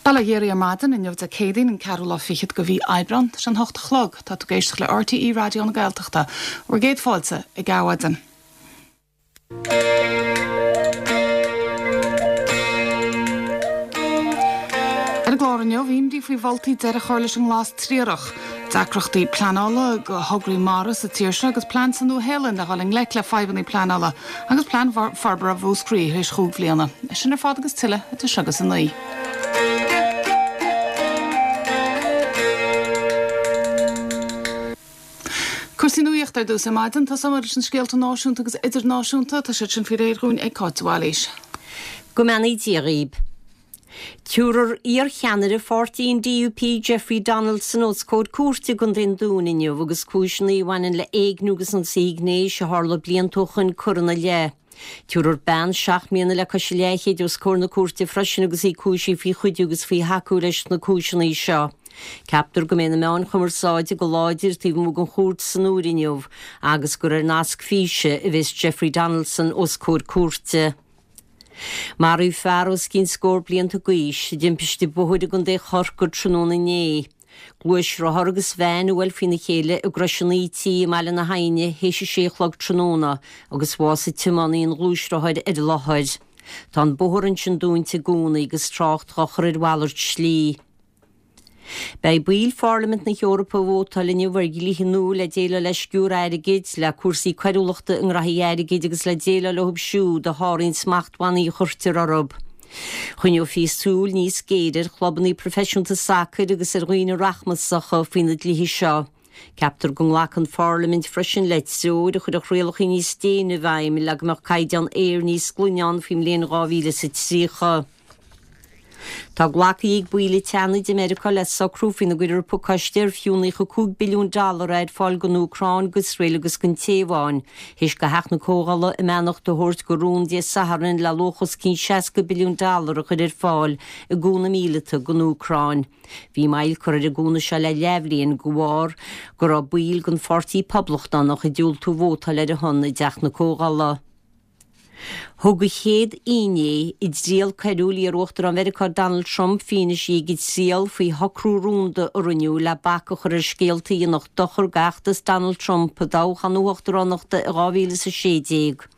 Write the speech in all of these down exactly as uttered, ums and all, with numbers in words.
Bail ó Dhia oraibh ar maidin inniu Dé Céadaoin an ceathrú lá fichead de mhí Aibreán tá sé an hocht a chlog tá tú ag éisteacht le RTÉ Raidió na Gaeltachta bhur gcéad fáilte ag Adhmhaidin. Ar an gclár inniu imní faoi mholtaí deireadh a chur leis an nglas triarach. Deacrachtaí pleanála do thograí mara sa tír seo agus plean sa Nua-Shéalainn le dhul i ngleic le fadhbanna pleanála agus plean forbartha Mhúscraí théis chúig bhliana. Sin ar fad agus tuilleadh idir seo agus a naoi. Cúrsaí nuachta ar dtús ar maidin, tosóimid leis na scéalta náisiúnta agus idirnáisiúnta, tá siad sin faoi réir dhúinn ag Cáit de Bhailís. Go mbeannaí Dia dhaoib. Tabharfar iarcheannaire pháirtí an DUP Jeffrey Donaldson os comhair cúirte i gContae an Dúin inniu agus cúiseanna a bhaineann le éigniú agus ionsaí gnéis a tharla blianta ó shoin curtha ina leith. Tabharfar bean seacht mbliana le cois a leathchéid os comhair na cúirte freisin agus í cúisithe faoi chuidiú agus faoi thacú leis na cúiseanna seo. Ceaptar go mbeidh na meáin chumarsáide go láidir taobh amuigh den chúirt san uair inniu agus gur ar nasc físe a bheas Jeffrey Donaldson os comhair cúirte. Maraíodh fear os cionn scór blianta d'aois i dtimpiste bóthair i gContae Chorcaí tráthnóna inné. Gluaisrothar agus veain a bhuail faoina chéile i gCrois an Íti i mBaile na hAidhne théis a sé a chlog tráthnóna agus bhásaigh tiománaí an ghluaisrothair ar an láthair. Tá an bóthar ansin dúnta i gcónaí agus trácht dhá chur ar mhalairt slí. Beidh baill Pharlaimint na hEorpa ag vótáil inniu ar dhlíthe nua le déileáil le sciúradh airgid, le cúrsaí coiriúlachta i ngraithí airgid agus le déileáil leo siúd a sháraíonn smachtbhannaí a chuirtear orthu. Choinneofaí súil níos géire ar chlubanna proifisiúnta sacair agus ar dhaoine rachmasacha faoi na dlíthe seo. Ceaptar go nglacfaidh an Pharlaimint freisin le treoir a chuirfeadh rialacha níos déine i bhfeidhm le go mbeadh caighdeán aeir níos glaine ann faoin mbliain dhá mhíle is a tríocha. Tá glactha ag baill an tSeanaid i Meiriceá le socrú faoina gcuirfear pacáiste ar fiú naocha cúig billiún dollar é ar fáil don Úcráin, d'Iosrael agus don Téaváin, théis do Theach na Comhdhála a mbeannacht a thabhairt do rún Dé Sathairn le luach os cionn seasca billiún dollar a chur ar fáil i gcúnamh míleata don Úcráin. Bhí moill curtha ar an gcúnamh seo le leathbhliain de bharr go raibh baill den Pháirtí Poblachtánach ag diúltú vótáil ar a shon i dTeach na Comhdhála. Thug an chéad fhinné i dtriail coiriúil iar-Uachtarán Mheiriceá Donald Trump fianaise ag an triail faoi shocrú rúnda a rinneadh le bac a chur ar scéalta a dhéanfadh dochar d'fheachtas Donald Trump i dtoghchán na huachtaránachta i dhá mhíle is a sé déag.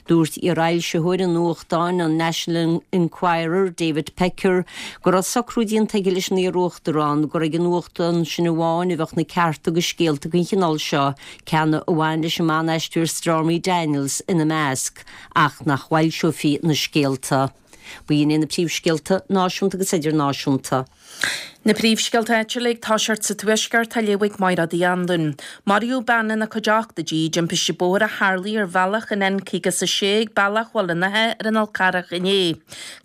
Dúirt iarfhoilsitheoir an nuachtáin an National Enquirer, David Pecker, go raibh socrú déanta aige leis an iar-uachtarán gur ag an nuachtán sin amháin a bheadh na cearta do scéalta den chineál seo, ceann a bhain leis an mban-aisteoir Stormy Daniels ina measc, ach nach bhfoilseofaí na scéalta. B'in iad na príomhscéalta náisiúnta agus idirnáisiúnta. Na príomhscéalta áitiúla ag toiseacht sa Tuaisceart á léamh ag Máire Uí Anluain. Maraíodh bean ina cuid ochtóidí i dtimpiste bóthair a tharlaigh ar bhealach an N caoga is a sé ag Bealach Bhaile an Átha ar an Fhál Carrach inné.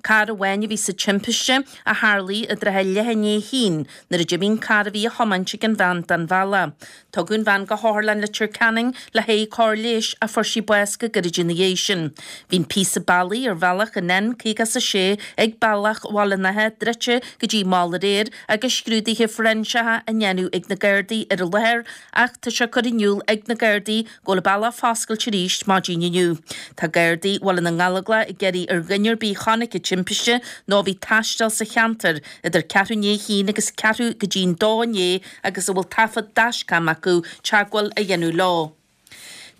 Carr amháin a bhí sa timpiste a tharlaigh i dtrátha leath i ndiaidh a haon nuair a d'imigh an carr a bhí á thiomáint ag an bhean den bhealach. Tugadh an bhean go hOtharlann Leitir Ceanainn le haghaidh cóir leighis ach fuair sí bás go gairid ina dhiaidh sin. Bhí an píosa bealaigh ar bhealach an N caoga is a sé ag Bealach Bhaile an Átha druidte go dtí mall aréir agus scrúduithe fóiréinseacha á ndéanamh ag na Gardaí ar an láthair ach tá sé curtha in iúl ag na Gardaí go bhfuil an bealach foscailte arís maidin inniu. Tá Gardaí Bhaile na nGallóglach ag iarraidh ar dhuine ar bith a chonaic an timpiste nó a bhí ag taisteal sa cheantar idir ceathrú i ndiaidh a haon agus ceathrú go dtí'n dó inné agus a bhfuil taifead dashcam acu teagmháil a dhéanamh leo.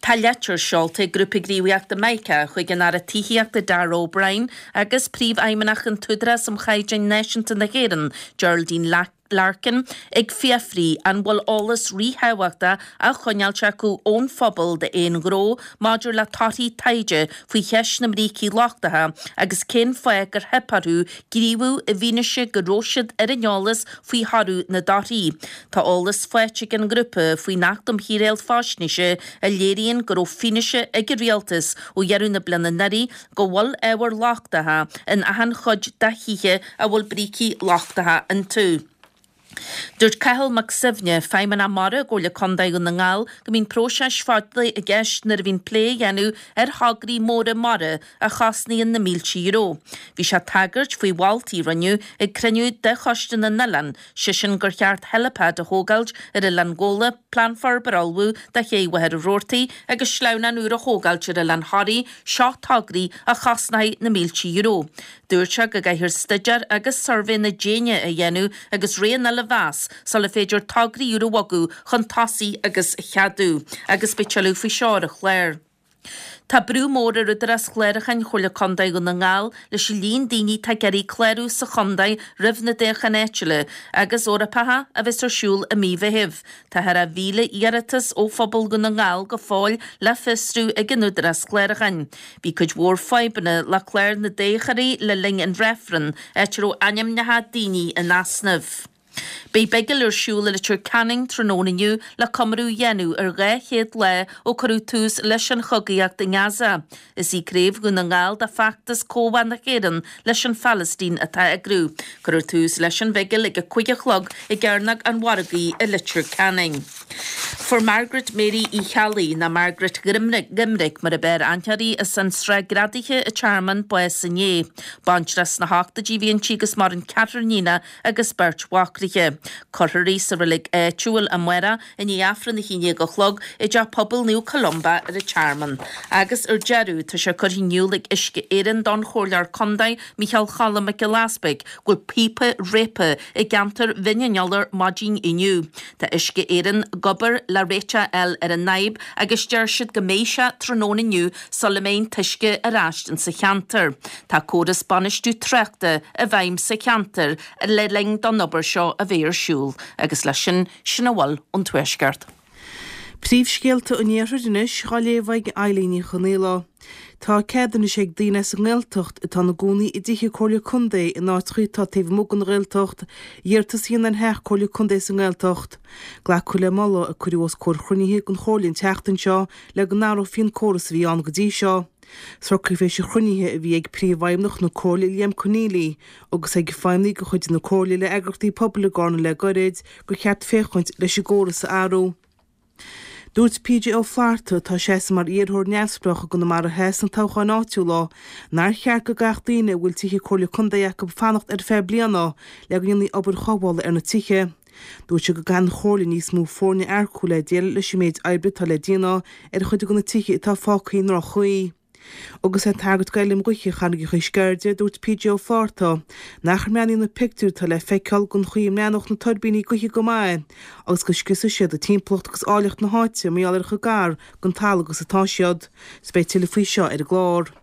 Tá litir seolta ag Grúpa Gníomhaíochta Mica chuig an Aire Tithíochta Darragh O'Brien agus Príomhfheidhmeannach an tÚdarás um Chaighdeáin Náisiúnta na hÉireann, Geraldine Larkin, ag fiafraí an bhfuil eolas ríthábhachtach á choinneáilt acu ón phobal d'aon ghnó maidir le torthaí taighde faoi cheist na mbrící lochtacha agus cén fáth gur theip orthu gníomhú i bhfianaise go raibh siad ar an eolas faoi thoradh na dtorthaí. Tá eolas faighte ag an ngrúpa faoin Acht um Shaoráil Faisnéise a léiríonn go raibh fianaise ag an Rialtas ó dheireadh na bliana anuraidh go bhfuil ábhair lochtacha in achan chuid de thithe a bhfuil brící lochtacha iontu. Dúirt Cathal Mac Suibhne, Feidhmeannach Mara i gComhairle Contae Dhún na nGall, go mbíonn próiseas fada i gceist nuair a bhíonn plé a dhéanamh ar thograí móra mara a chosnaíonn na mílte euro. Bhí sé ag tagairt faoi mholtaí a rinneadh ag cruinniú de Choiste na nOileán, sé sin gur cheart helipad a thógáilt ar Oileán Ghabhla, plean forbartha a ullmhú do ché Mhachaire Rabhartaigh agus sleamhnán úr a thógáilt ar Oileán Thoraí, seo tograí a chosnóidh na mílte euro. Dúirt sé go gcaithfear staidéar agus suirbhéanna déine a dhéanamh agus rogha an a mheas sula féidir tograí úra a bhogadh chun tosaigh agus a cheadú, agus beidh tuilleadh faoi seo ar an chlár. Tá brú mór ar Údarás Chlárúcháin Chomhairle Contae Dhún na nGall leis an líon daoine atá ag iarraidh clárú sa chontae roimh na dtoghcháin áitiúla agus Eorpacha a bheas ar siúl i mí Mheithimh. Tá thar a mhíle iarratas ó phobal Dhún na nGall go fóill le fiosrú ag an Údarás Clárúcháin. Bhí cuid mhór fadhbanna le clár na dtoghthóirí le linn an reifrinn, áit a raibh ainmneacha daoine in easnamh. Beidh bigil ar siúl i Leitir Ceanainn tráthnóna inniu le comóradh a dhéanamh ar dhá chéad lá ó cuireadh tús leis an chogaíocht i nGaza. Is í Craobh Dhún na nGall de Feachtas Comhbhá na hÉireann leis an Phalaistín atá á eagrú. Cuirfear tús leis an bhigil ag a cúig a chlog i gCearnóg an Mhargaidh i Leitir Ceanainn. Fuair Margaret Mary Uí Cheallaigh, nó Margaret Dhoiminic mar ab fhearr aithne uirthi, as an Srath Greadaithe an Tearmann, bás inné. Baintreach sna hochtóidí a bhí inti agus maireann ceathrar iníonacha agus beirt mhac léi. Cuirfear í sa reilig áitiúil amárach i ndiaidh Aifreann a haon déag a chlog i dTeach Pobail Naomh Columba ar an Tearmann. Agus ar deireadh, tá sé curtha in iúl ag Uisce Éireann don Chomhairleoir Contae Micheál Choilm Mac Giolla Easpaig go bhfuil píopa réabtha i gceantar Bhinn an Iolair maidin inniu. Tá Uisce Éireann ag obair le réiteach a fháil ar an fhadhb agus deir siad go mbeidh sé tráthnóna inniu sula mbeidh an t-uisce ar ais insa cheantar. Tá córas bainistiú tráchta i bhfeidhm sa cheantar le linn don obair seo a bheith ar siúl agus leis sin, sin a bhfuil ón Tuaisceart. Príomhscéalta an Iarthair anois á léamh ag Eilín Ní Chonaola. Tá cead anois ag daoine as an nGaeltacht atá ina gcónaí i dtithe Comhairle Contae in áiteacha atá taobh amuigh den Ghaeltacht iarratas a dhéanamh ar theach Comhairle Contae sa nGaeltacht. Glacadh le moladh a cuireadh os comhair chruinnithe den Chomhairle an tseachtain seo le go n-athrófaí an córas a bhí ann go dtí seo. Socraíodh théis an chruinnithe a bhí ag Príomhfheidhmeannach na Comhairle Liam Conneally agus ag feidhmeannaigh de chuid na Comhairle le eagraíochtaí pobail i gCarna le gairid gur cheart féachaint leis an gcóras a athrú. Dúirt P J Ó Flatharta, atá ag seasamh mar iarrthóir neamhspleách i gConamara Theas sna toghcháin áitiúla, nár cheart go gcaithfeadh daoine a bhfuil tithe Comhairle Contae acu fanacht ar feadh bliana le go ndéanfaí obair chothabhála ar na tithe. Dúirt sé go gcaithfidh an Chomhairle níos mó foirne a earcú le déileáil leis an méid oibre atá le déanamh ar chuid de na tithe atá fágtha i ndroch-chaoi. Agus é ag tagairt d'fheilm ghaoithe Charraigeacha Sceirde, dúirt P J Ó Flatharta nach mbreathnaíonn na pictiúir atá le feiceáil den chaoi a mbreathnódh na tuirbíní gaoithe go maith agus go scriosfaidh siad an timpeallacht agus áilleacht na háite mar gheall ar chomh gar don talamh agus atá siad. 'S beidh tuilleadh faoi seo ar an gclár.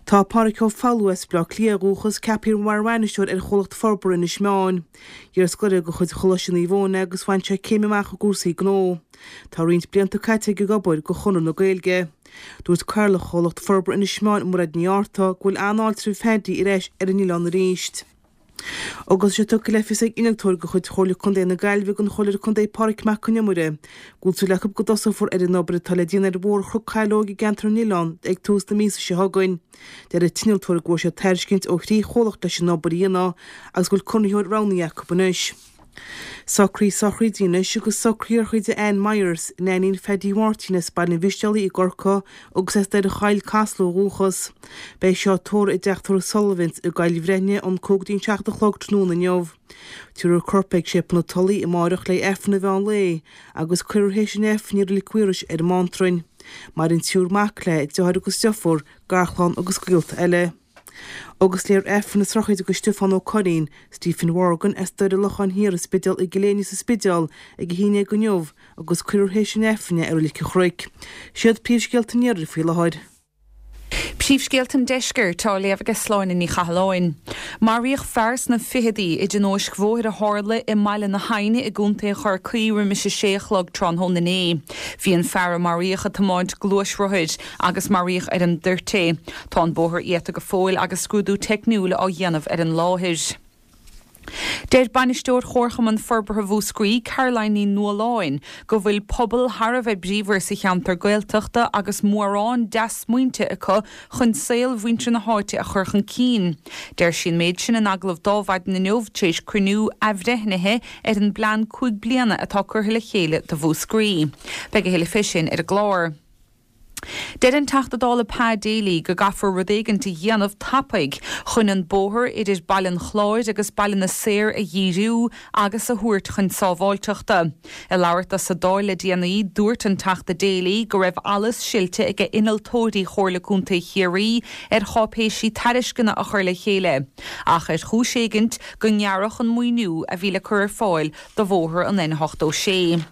Tá Pádraig Ó Foghlú as Baile Átha Cliath ó dhúchas ceaptha mar bhainisteoir ar Chomhlacht Forbartha Inis Meáin. Iarscoláire de chuid Choláiste Naomh Eoin é agus bhain sé céim amach i gcúrsaí gnó. Tá roinnt blianta caite aige ag obair do Chonradh na Gaeilge. Dúirt Cathaoirleach Chomhlacht Forbartha Inis Meáin Mairéad Ní Fhátharta go bhfuil an-fháilte roimh Phaddy ar ais ar an oileán arís. Agus tá sé tugtha le fios ag innealtóir de chuid Chomhairle Contae na Gaillimhe don Chomhairleoir Contae Pádraig Mac Con Iomaire go bhfuil súil acu go dtosófar ar an obair atá le déanamh ar Bhóthar Chnoc Shaileog i gceantar an Oileáin ag tús na míosa seo chugainn. Deir an t-innealtóir go bhfuair siad tairiscint ó thrí chomhlacht leis an obair a dhéanamh agus go bhfuil conraitheoir roghnaithe acu anois. Socraí sochraide anois agus socraíodh sochraid Ann Myers, Neainín Phaddy Mháirtín as Baile an Mhistéalaigh i gCorcaigh agus as Doire Choill, Casla ó dhúchas. Beidh seo tórramh i dteach tórraimh Sullivan's i gCoill Bhreifne ón cúig go dtí an seacht a chlog tráthnóna inniu. Tabharfar a corp ag Séipéal na Tulaí amáireach le Aifreann an mheán lae agus cuirfear théis an Aifrinn í i Reilig Mhaorais ar an mBántrainn. Maireann triúr mac léi, deartháir agus deirfiúr, garchlann agus gaolta eile. Agus léifear Aifreann na sochraide do Stiofán Ó Curraoin, Stephen Morgan as Doire Locháin Thiar an Spidéal i gCill Éinne sa Spidéal ag a haon déag inniu agus cuirfear théis an Aifrinn é i Reilig an Chnoic. Siad príomhscéalta an iarthair faoi láthair. Príomhscéalta an deiscirt á léamh ag Sláine Ní Chathalláin. Maraíodh fear sna fichidí i dtionóisc bhóthair a tharla i mBaile na hAidhne i gContae Chorcaí roimis a sé a chlog tráthnóna inné. Bhí an fear a maraíodh ag tiomáint gluaisrothair agus maraíodh ar an dtoirt é. Tá an bóthar iata go fóill agus scrúdú teicniúil á dhéanamh ar an láthair. Deir Bainisteoir Chomharchumann Forbartha Mhúscraí, Caroline Ní Nualláin, go bhfuil pobal thar a bheith bríomhar sa cheantar Gaeltachta agus mórán dea-smaointe acu chun saol mhuintir na háite a chur chun cinn. Deir sí an méid sin in agallamh d'Adhmhaidin inniu tar éis cruinniú athbhreithnithe ar an bplean cúig bliana atá curtha le chéile do Mhúscraí. Beidh a thuilleadh fé sin ar an gclár. Deir an Teachta Dála Pa Daly go gcaithfear rud éigin a dhéanamh tapaidh chun an bóthar idir Baile an Chláir agus Baile na Saor a dhíriú agus a thabhairt chun sábháilteachta. Ag labhairt dó sa Dáil le déanaí, dúirt an Teachta Daly go raibh allas silte ag innealtóirí Chomhairle Contae Chiarraí ar cháipéisí tairisceana a chur le chéile, ach ar chúis éigint go ngearradh an maoiniú a bhí le cur ar fáil do bhóthar an N ochtó sé.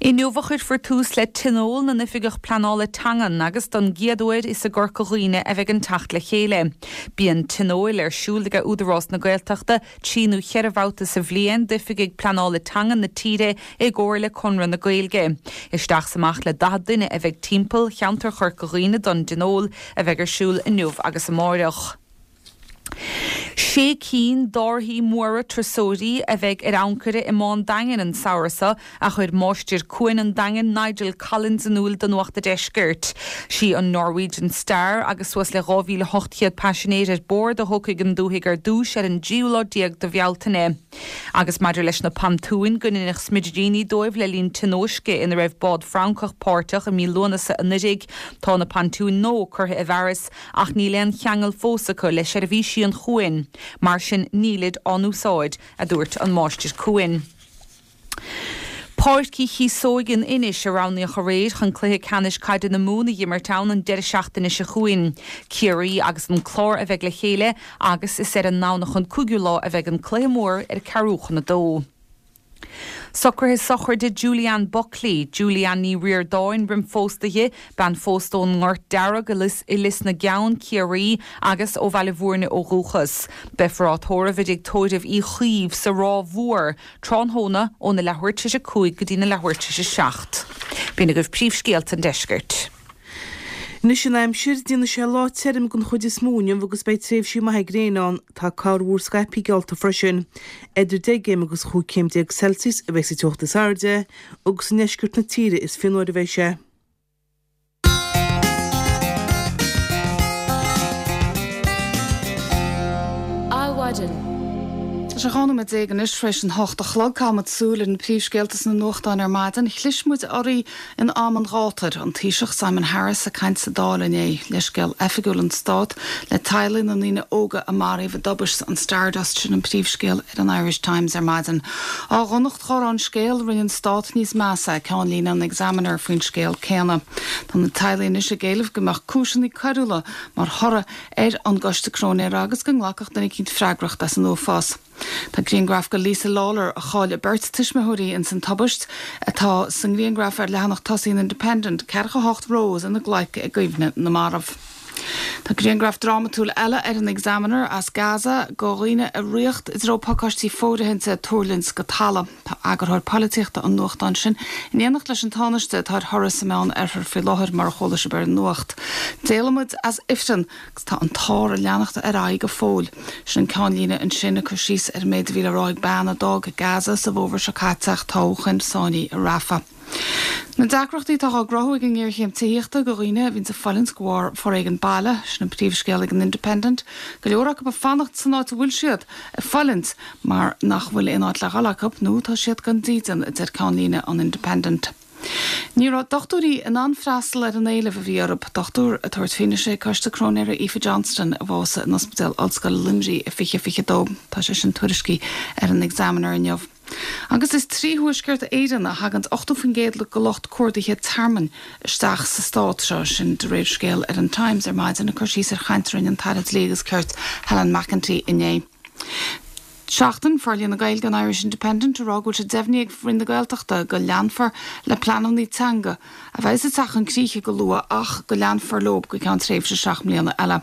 Inniu a chuirfear tús le Tionól na nOifigeach Pleanála Teangan agus don gcéad uair is i gCorca Dhuibhne a bheidh an teacht le chéile. Bíonn tionóil ar siúl ag Údarás na Gaeltachta trí nó cheithre bhabhta sa bhliain d'oifigigh pleanála teangan na tíre i gcomhar le Conradh na Gaeilge. Isteach is amach le daichead duine a bheidh timpeall cheantar Chorca Dhuibhne don dtionól a bheidh ar siúl inniu agus amáireach. Sé cinn d'árthaí móra turasóirí a bheidh ar ancaire i mBá an Daingin an samhradh seo, a chuir máistir cuain an Daingin Nigel Collins in iúl do Nuacht an Deiscirt. Sí an Norwegian Star agus suas le dhá mhíle ocht gcéad paisinéir ar bord a thiocfaidh chun dúthaigh ar dtús ar an dtríú lá déag de Bhealtaine. Agus maidir leis na pantúin go ndeineadh smidiríní dóibh le linn tionóisce ina raibh bád Francach páirteach i mí Lúnasa anuraidh, tá na pantúin nua curtha i bhfearas ach níl aon cheangal fós acu le seirbhísí an chuain. Mar sin nílid á n-úsáid, a dúirt an máistir cuain. Páirc Uí Chíosóg in Inis a roghnaíodh aréir chun cluiche ceannais caide na Mumhan a dh'imirt ann an deireadh seachtaine seo chugainn. Ciarraí agus an Clár a bheidh le chéile agus is ar an nDomhnach an cúigiú lá a bheidh an cluiche mór ar ceathrú chun a dó. Socruithe sochraide Julianne Buckley, Julianne Ní Ríordáin roim phósadh di, bean phósta ón nGort Dearg i Lios na gCeann, Ciarraí, agus ó Bhaile Bhúirne ó dhúchas. Beifear á tórramh i dtigh tórraimh Uí Chaoimh sa Ráth Mhór tráthnóna óna leathuair tar éis a cúig go dtína leathuair tar éis a seacht. B'in agaibh príomhscéalta an deiscirt. Anois an aimsir, déanfaidh sé lá tirim den chuid is mó inniu agus beidh tréimhsí maithe gréine ann. Tá corrmhúr scaipthe geallta freisin. Idir deich gcéim agus chúig chéim déag Celsius a bheidh sa teocht is airde agus i ndeisceart na tíre is fionnuaire a bheidh sé. Adhmhaidin. Tá sé dhá nóiméad déag anois tar éis an hocht a chlog. Caithfimid súil ar na príomhscéalta sna nuachtáin ar maidin. Chlis muid oraibh in am an ghátair. An Taoiseach Simon Harris ag caint sa Dáil inné. Leithscéal oifigiúil an Stát le teaghlaigh na ndaoine óga a maraíodh i dtubaiste an Stardust sin an príomhscéal ar an Irish Times ar maidin. Á dhonacht dhá raibh an scéal, rinne an Stát níos measa, ceannlíne an Examiner faoin scéal céanna. Tá na teaghlaigh anois ag éileamh go mbeadh cúiseanna coiriúla mar thoradh ar an gcoiste cróinéara agus go nglacfadh duine eicínt freagracht as an uafás. Tá grianghraf de Lisa Lawler a chaill a beirt tuismitheoirí ins an tubaist atá sa ngrianghraf ar leathanach tosaigh an Independent, ceathracha hocht Rose ina glaic i gcuimhne na marbh. Tá grianghraf drámatúil eile ar an Examiner as Gaza de dhaoine ag ritheacht i dtreo pacáistí fóirithinte ag tuirlingt go talamh. Tá eagarthóir polaitíochta an nuachtáin sin in éineacht leis an Tánaiste atá ar thuras sa Meán Oirthear faoi láthair mar a chuala sibh ar an nuacht. D'éalaigh muid as ifreann agus tá an t-ár ag leanacht ar aghaidh go fóill. Sin an ceannlíne ansin ag cur síos ar an méid a bhí le rá ag bean a d'fhág Gaza sa bhfómhar seo caite ach atá ó shoin sáinnithe i Rafah. Na deacrachtaí atá á gcruthú ag an ngéarchéim tithíochta do dhaoine a bhíonns ag fulaingt de bharr foréigean baile, sin an príomhscéal ag an Independent. Go leor acu ag fanacht san áit a bhfuil siad ag fulaingt mar nach bhfuil aon áit le dhul acu nó tá siad gan dídean, a deir ceannlíne an Independent. Ní raibh dochtúirí in ann freastal ar an éileamh a bhí orthu, dochtúir ag tabhairt fianaise ag Coiste Cróinéara Aoife Johnston a bhásaigh in Ospidéal Ollscoile Luimnigh i fiche fiche dó. Tá sé sin tuairiscithe ar an Examiner inniu. Agus is trí Thuaisceart Éireann a thagann ochtó faoin gcéad de lucht cuardaithe tearmainn isteach sa stát seo, sin de réir scéal ar an Times ar maidin ag cur síos ar chaint a rinne an tAire Dlí agus Cirt Helen McEntee inné. Seachtain, Forlíonadh na Gaeilge an Irish Independent ag rá go bhfuil sé deimhnithe ag Roinn na Gaeltachta go leanfar le pleananna teanga a bheas ag teacht chun críche go luath ach go leanfar leo go ceann tréimhse seacht mbliana eile.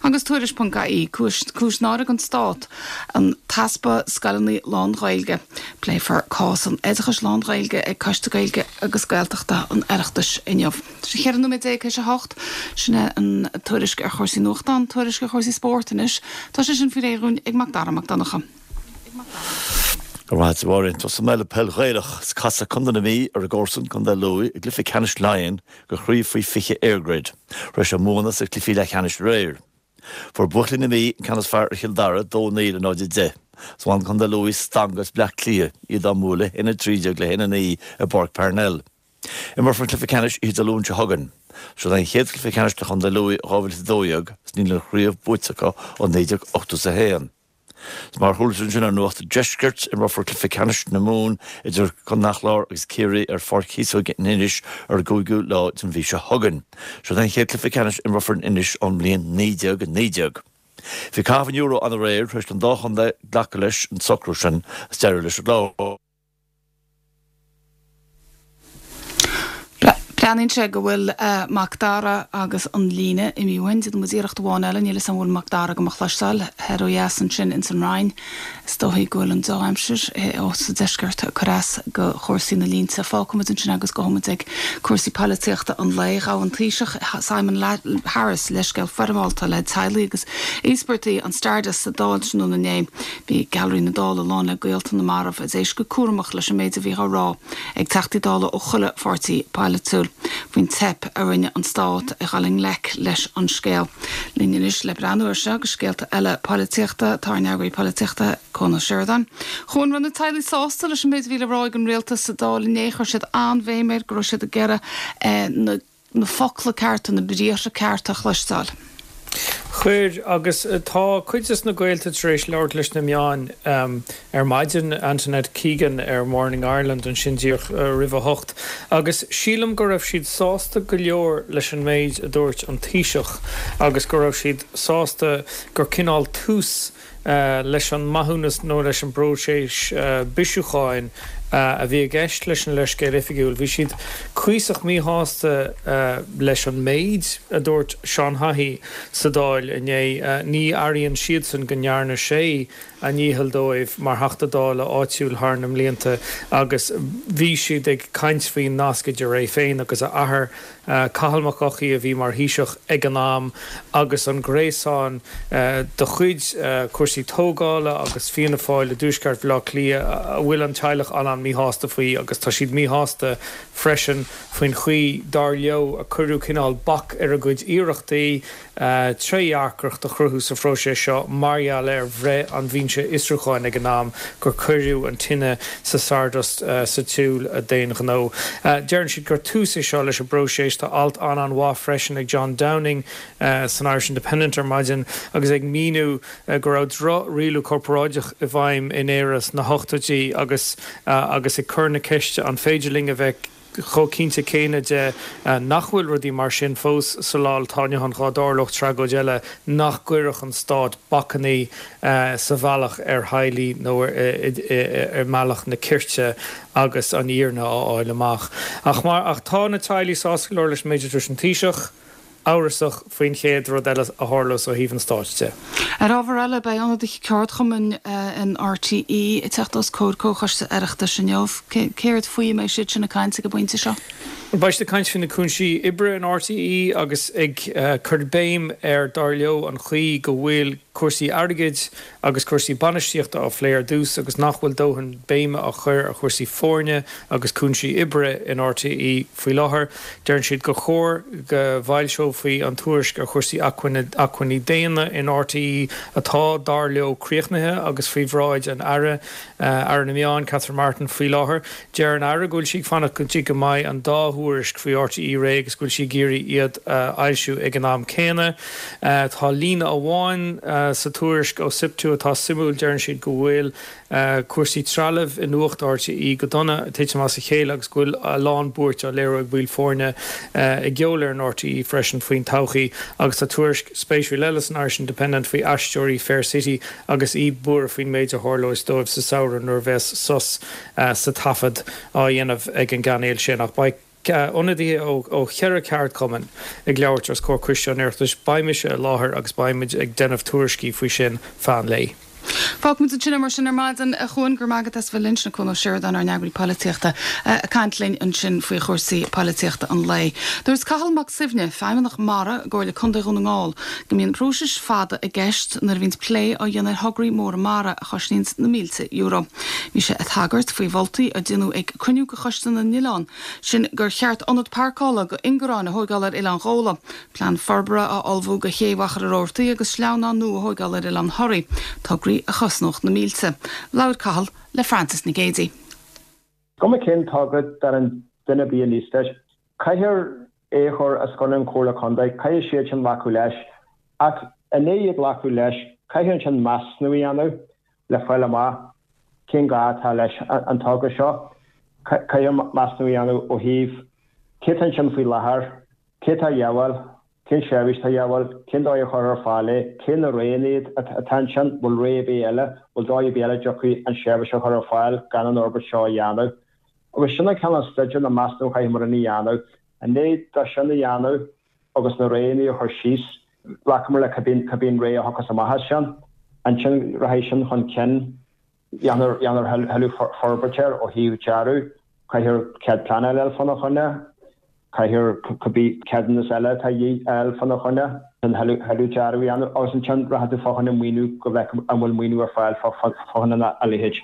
Agus Tuairisc ponc ie, cúis náire don Stát an t-easpa scoileanna lán-Ghaeilge. Pléifear cás an oideachais lán-Ghaeilge ag Coiste Gaeilge agus Gaeltachta an Oireachtais inniu. Tá sé cheithre nóiméad déag théis a hocht. Sin é an tuairisc ar chúrsaí nuachtán, tuairisc ar chúrsaí spóirt anois. Tá sé sin faoi réir dhúinn ag Mac Dara Mac Donncha. Go raibh maith agat. Tosóidh mé le peil Ghaelach is casfaidh Contae na Mí ar a gcomharsan Contae Lú i gcluiche ceannais Laighean do chraobh faoi fiche EirGrid, tar éis a mbuanna sa cluichí leathcheannais aréir. Fuair buachaillí na Mí an ceann is fearr ar Chill Dara, dó naoi le náid a deich. Is bhain Contae Lú stangadh as Bleá Cliath, iad á mbualadh a haon a trí déag le haon a naoi i bPáirc Parnell. Imreofar an cluiche ceannais oíche Dé Luain seo chugainn. Seo é an chéad chluiche ceannais do Chontae Lú ó dhá mhíle is a dó dhéag is níl an chraobh buaite acu ó naoi déag ochtó is a haon. Is mar a chuala sibh ansin ar Nuacht an Deiscirt, imreofar cluiche ceannais na Mumhan idir Contae an Chláir agus Ciarraí ar Pháirc Chíosóige in Inis ar an gcúigiú lá den mhí seo chugainn. Seo é an chéad chluiche ceannais a imreofar in Inis ón mbliain naoi déag naoi déag. Bhí caitheamh an euro ann aréir tar éis don dá chontae glacadh leis an socrú sin is deireadh leis an gclár. Breathnaíonn sé go bhfuil Mac Dara agus an líne imithe uainn. Déanfaidh muid iarracht amháin eile. Níl 'fhios a'm an bhfuil Mac Dara go mo chloisteáil thoir ó dheas ansin ins an Rinn. Is dóichí go bhfuil an dea-aimsir ó sa deisceart ag cur as go chúrsaí na línte. Fágfaidh muid ansin agus gabhfaidh muid ag cúrsaí polaitíochta an lae. Ghabh an Taoiseach Simon Harris leithscéal foirmeálta le teaghlaigh agus íospartaigh an Stardust sa Dáil tráthnóna inné. Bhí Gailearaí na Dála lán le gaolta na marbh a d'éist go cúramach leis an méid a bhí á rá ag Teachtaí Dála ó chuile pháirtí polaitiúil faoin teip a rinne an stát a dhul i ngleic leis an scéal. Linn anois le breathnú air seo agus scéalta eile polaitíochta, tá ár n-eagraí polaitíochta, Cuan Ó Seireadáin. A Chuain, raibh na teaghlaigh sásta leis an méid a bhí le rá ag an rialtas sa Dáil inné, chuir siad an-bhéim air go raibh siad ag iarraidh na na focla cearta, na briathra cearta a chloisteáil. Chuir, agus tá cuid des na gaolta tar éis labhairt leis na meáin ar maidin, Antoinette Keegan ar Morning Ireland ansin díreach roimh a hocht, agus sílim go raibh siad sásta go leor leis an méid a dúirt an Taoiseach agus go raibh siad sásta gur cineál tús leis an maithiúnas nó leis an bpróiseas bisiúcháin a bhí i gceist leis an leithscéal oifigiúil. Bhí siad cuíosach míshásta leis an méid a dúirt Seán Haughey sa Dáil inné. Ní airíonn siadsan go ndearna sé a ndícheall dóibh mar Theachta Dála áitiúil thar na mblianta agus bhí siad ag caint faoin nasc idir é féin agus a athair, Cathal Mac Eochaidh, a bhí mar Thaoiseach ag an am, agus an gréasán de chuid cúrsaí tógála agus Fianna Fáil i dtuaisceart Bhaile Átha Cliath a bhfuil an teaghlach an-an-míshásta faoi agus tá siad míshásta freisin faoin chaoi, dar leo, a cuireadh cineál bac ar a gcuid iarrachtaí trédhearcacht a chruthú sa phróiseas seo mar gheall ar bhreith an Bhinse Fhiosrúcháin ag an am gur cuireadh an tine sa Stardust sa tsiúl d'aon ghnó. Deireann siad gur tús é seo leis an bpróiseas. Tá alt an-an-mhaith freisin ag John Downing san Irish Independent ar maidin agus é ag míniú go raibh droch-rialú corparáideach i bhfeidhm in Éire sna hochtóidí agus agus ag cur na ceiste an féidir linn a bheith chomh cinnte céanna de nach bhfuil rudaí mar sin fós sa lá atá inniu ann dhá dtarlódh tragóid eile nach gcuirfeadh an stát bacainní sa bhealach ar theaghlaigh nó i mbealach na cirte agus an fhírinne á fháil amach. Ach mar ach tá na teaghlaigh sásta go leor leis an méid a dúirt an Taoiseach. amhrasach faoin chéad rud eile a tharlós ó thaobh an stáit de. Ar ábhar eile, beidh ionadaithe ceardchumainn in RTÉ ag teacht os comhair Comhchoiste Oireachtais inniu. Céard faoi a mbeidh siad sin ag caint ag an bpointe seo? Beidh siad ag caint faoi na cúinsí oibre in RTÉ agus ag cur béim ar, dar leo, an chaoi go bhfuil cúrsaí airgid agus cúrsaí bainistíochta á phlé ar dtús agus nach bhfuil dóthain béime á chur ar chúrsaí foirne agus cúinsí oibre in RTÉ faoi láthair. Deireann siad gur chóir go bhfoilseofaí an tuairisc ar chúrsaí acmhainní daonna in RTÉ atá, dar leo, críochnaithe agus faoi bhráid an Aire, Aire na Meán, Catherine Martin, faoi láthair. Deir an Aire go bhfuil sí ag fanacht go dtí go mbeidh an dá thuairisc faoi RTÉ réidh agus go bhfuil sí ag iarraidh iad a fhoilsiú ag an am céanna. Tá líne amháin sa tuairisc ó Siptu atá suimiúil, deireann siad go bhfuil cúrsaí trealaimh i nuacht RTÉ go dona, ag titim as a chéile agus go bhfuil a lán buairt á léiriú ag baill foirne i gCeolfhoireann RTÉ freisin faoin todhchaí. Agus tá tuairisc spéisiúil eile san Irish Independent faoi aisteoirí Fair City agus iad buartha faoin méid a tharlós dóibh sa samhradh nuair a bheas sos sa taifead á dhéanamh ag an gcainéal sin. Ach beidh ionadaithe ó cheithre cheardchumann ag labhairt os comhair Coiste an Oireachtais. Beidh mise i láthair agus beidh muid ag déanamh tuairiscí faoi sin feadh an lae. Fágfaimid ansin é mar sin ar maidin a Chuain go raibh maith agat as bheith linn sin Cuan Ó Seireadáin ár n-eagraí polaitíochta ag caint linn ansin faoi chúrsaí polaitíochta an lae. Dúirt Cathal Mac Suibhne, Feidhmeannach Mara i gComhairle Contae Dhún na nGall, go mbíonn próisis fada i gceist nuair a bhíonns plé á dhéanamh ar thograí móra mara a chosnaíonns na mílte euro. Bhí sé ag tagairt faoi mholtaí a déanadh ag cruinniú de Choiste na nOileán, sin gur cheart ionad páirceála go ingearáin a thógáil ar Oileán Ghabhla, plean forbartha á ullmhú do ché Mhachaire Rabhartaigh agus sleamhnán nua a thógáil ar Oileán Thoraí, tograí a chosnódh na mílte. Labhair Cathal le Francis Nic Géadaigh. Cuma cén togra den duine ar bith aníos leis, caithfear é a chur os cionn an Chomhairle Contae, caithfidh siad sin glacadh leis. Ach i ndiaidh iad glacadh leis, caithfear ansin measúnú a dhéanamh le fáil amach cén gá atá leis an togra seo. Caithfear measúnú a dhéanamh ó thaobh cé atá ansin faoi láthair, cé atá a dhíobháil, cén seirbhís atá a dhíobháil, cén dóigh a chur ar fáil é, cé na roghanna iad atá ansin, bhfuil rogha ar bith eile, bhfuil dóigh ar bith eile a dtiocfaidh an seirbhís a chur ar fáil gan an fhorbairt seo a dhéanamh. Agus sin an cineál staidéir nó measúnú a chaithfidh muid a dhéanamh. I ndiaidh dó sin a dhéanamh agus na roghanna a chur síos, glacamar le cibé an rogha a thiocfas amach as sin. Ansin rachaidh sin chun cinn, dhéanfar thuilleadh forbairt air ó thaobh dearadh, caithfear cead pleanála a fháil fána choinne, caithfear cibé ceadúnas eile atá de dhíth a fháil fána choinne, an thuilleadh dearadh a dhéanamh agus ansin rachaidh tú fá choinne maoiniú go bhfeicfidh an bhfuil maoiniú ar fáil fá choinne a leithéid.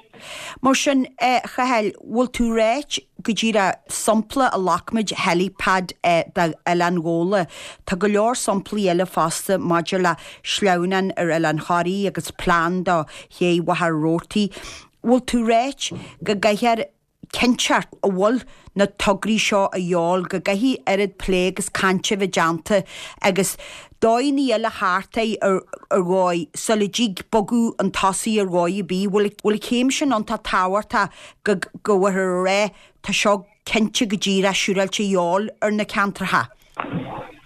Mar sin, a Chathail, bhfuil tú ráit go díreach sampla a ghlac muid helipad d'Oileán Ghabhla, tá go leor samplaí eile fosta maidir le sleamhnán ar Oileán Thoraí agus plean do ché Mhachaire Rabhartaigh. Bhfuil tú ráit go gcaithfear cinnteacht a bhfuil na tograí seo a dhíobháil, go gcaithfidh oiread plé agus cainte a bheith déanta agus dóigheanna eile thart air ar dhóigh sula dtig bogadh chun tosaigh ar dhóigh ar bith. Bhfuil bhfuil an chéim sin iontach tábhachtach go go bhfuilthear a rá tá seo cinnte go díreach siúráilte a dhíobháil ar na ceantracha.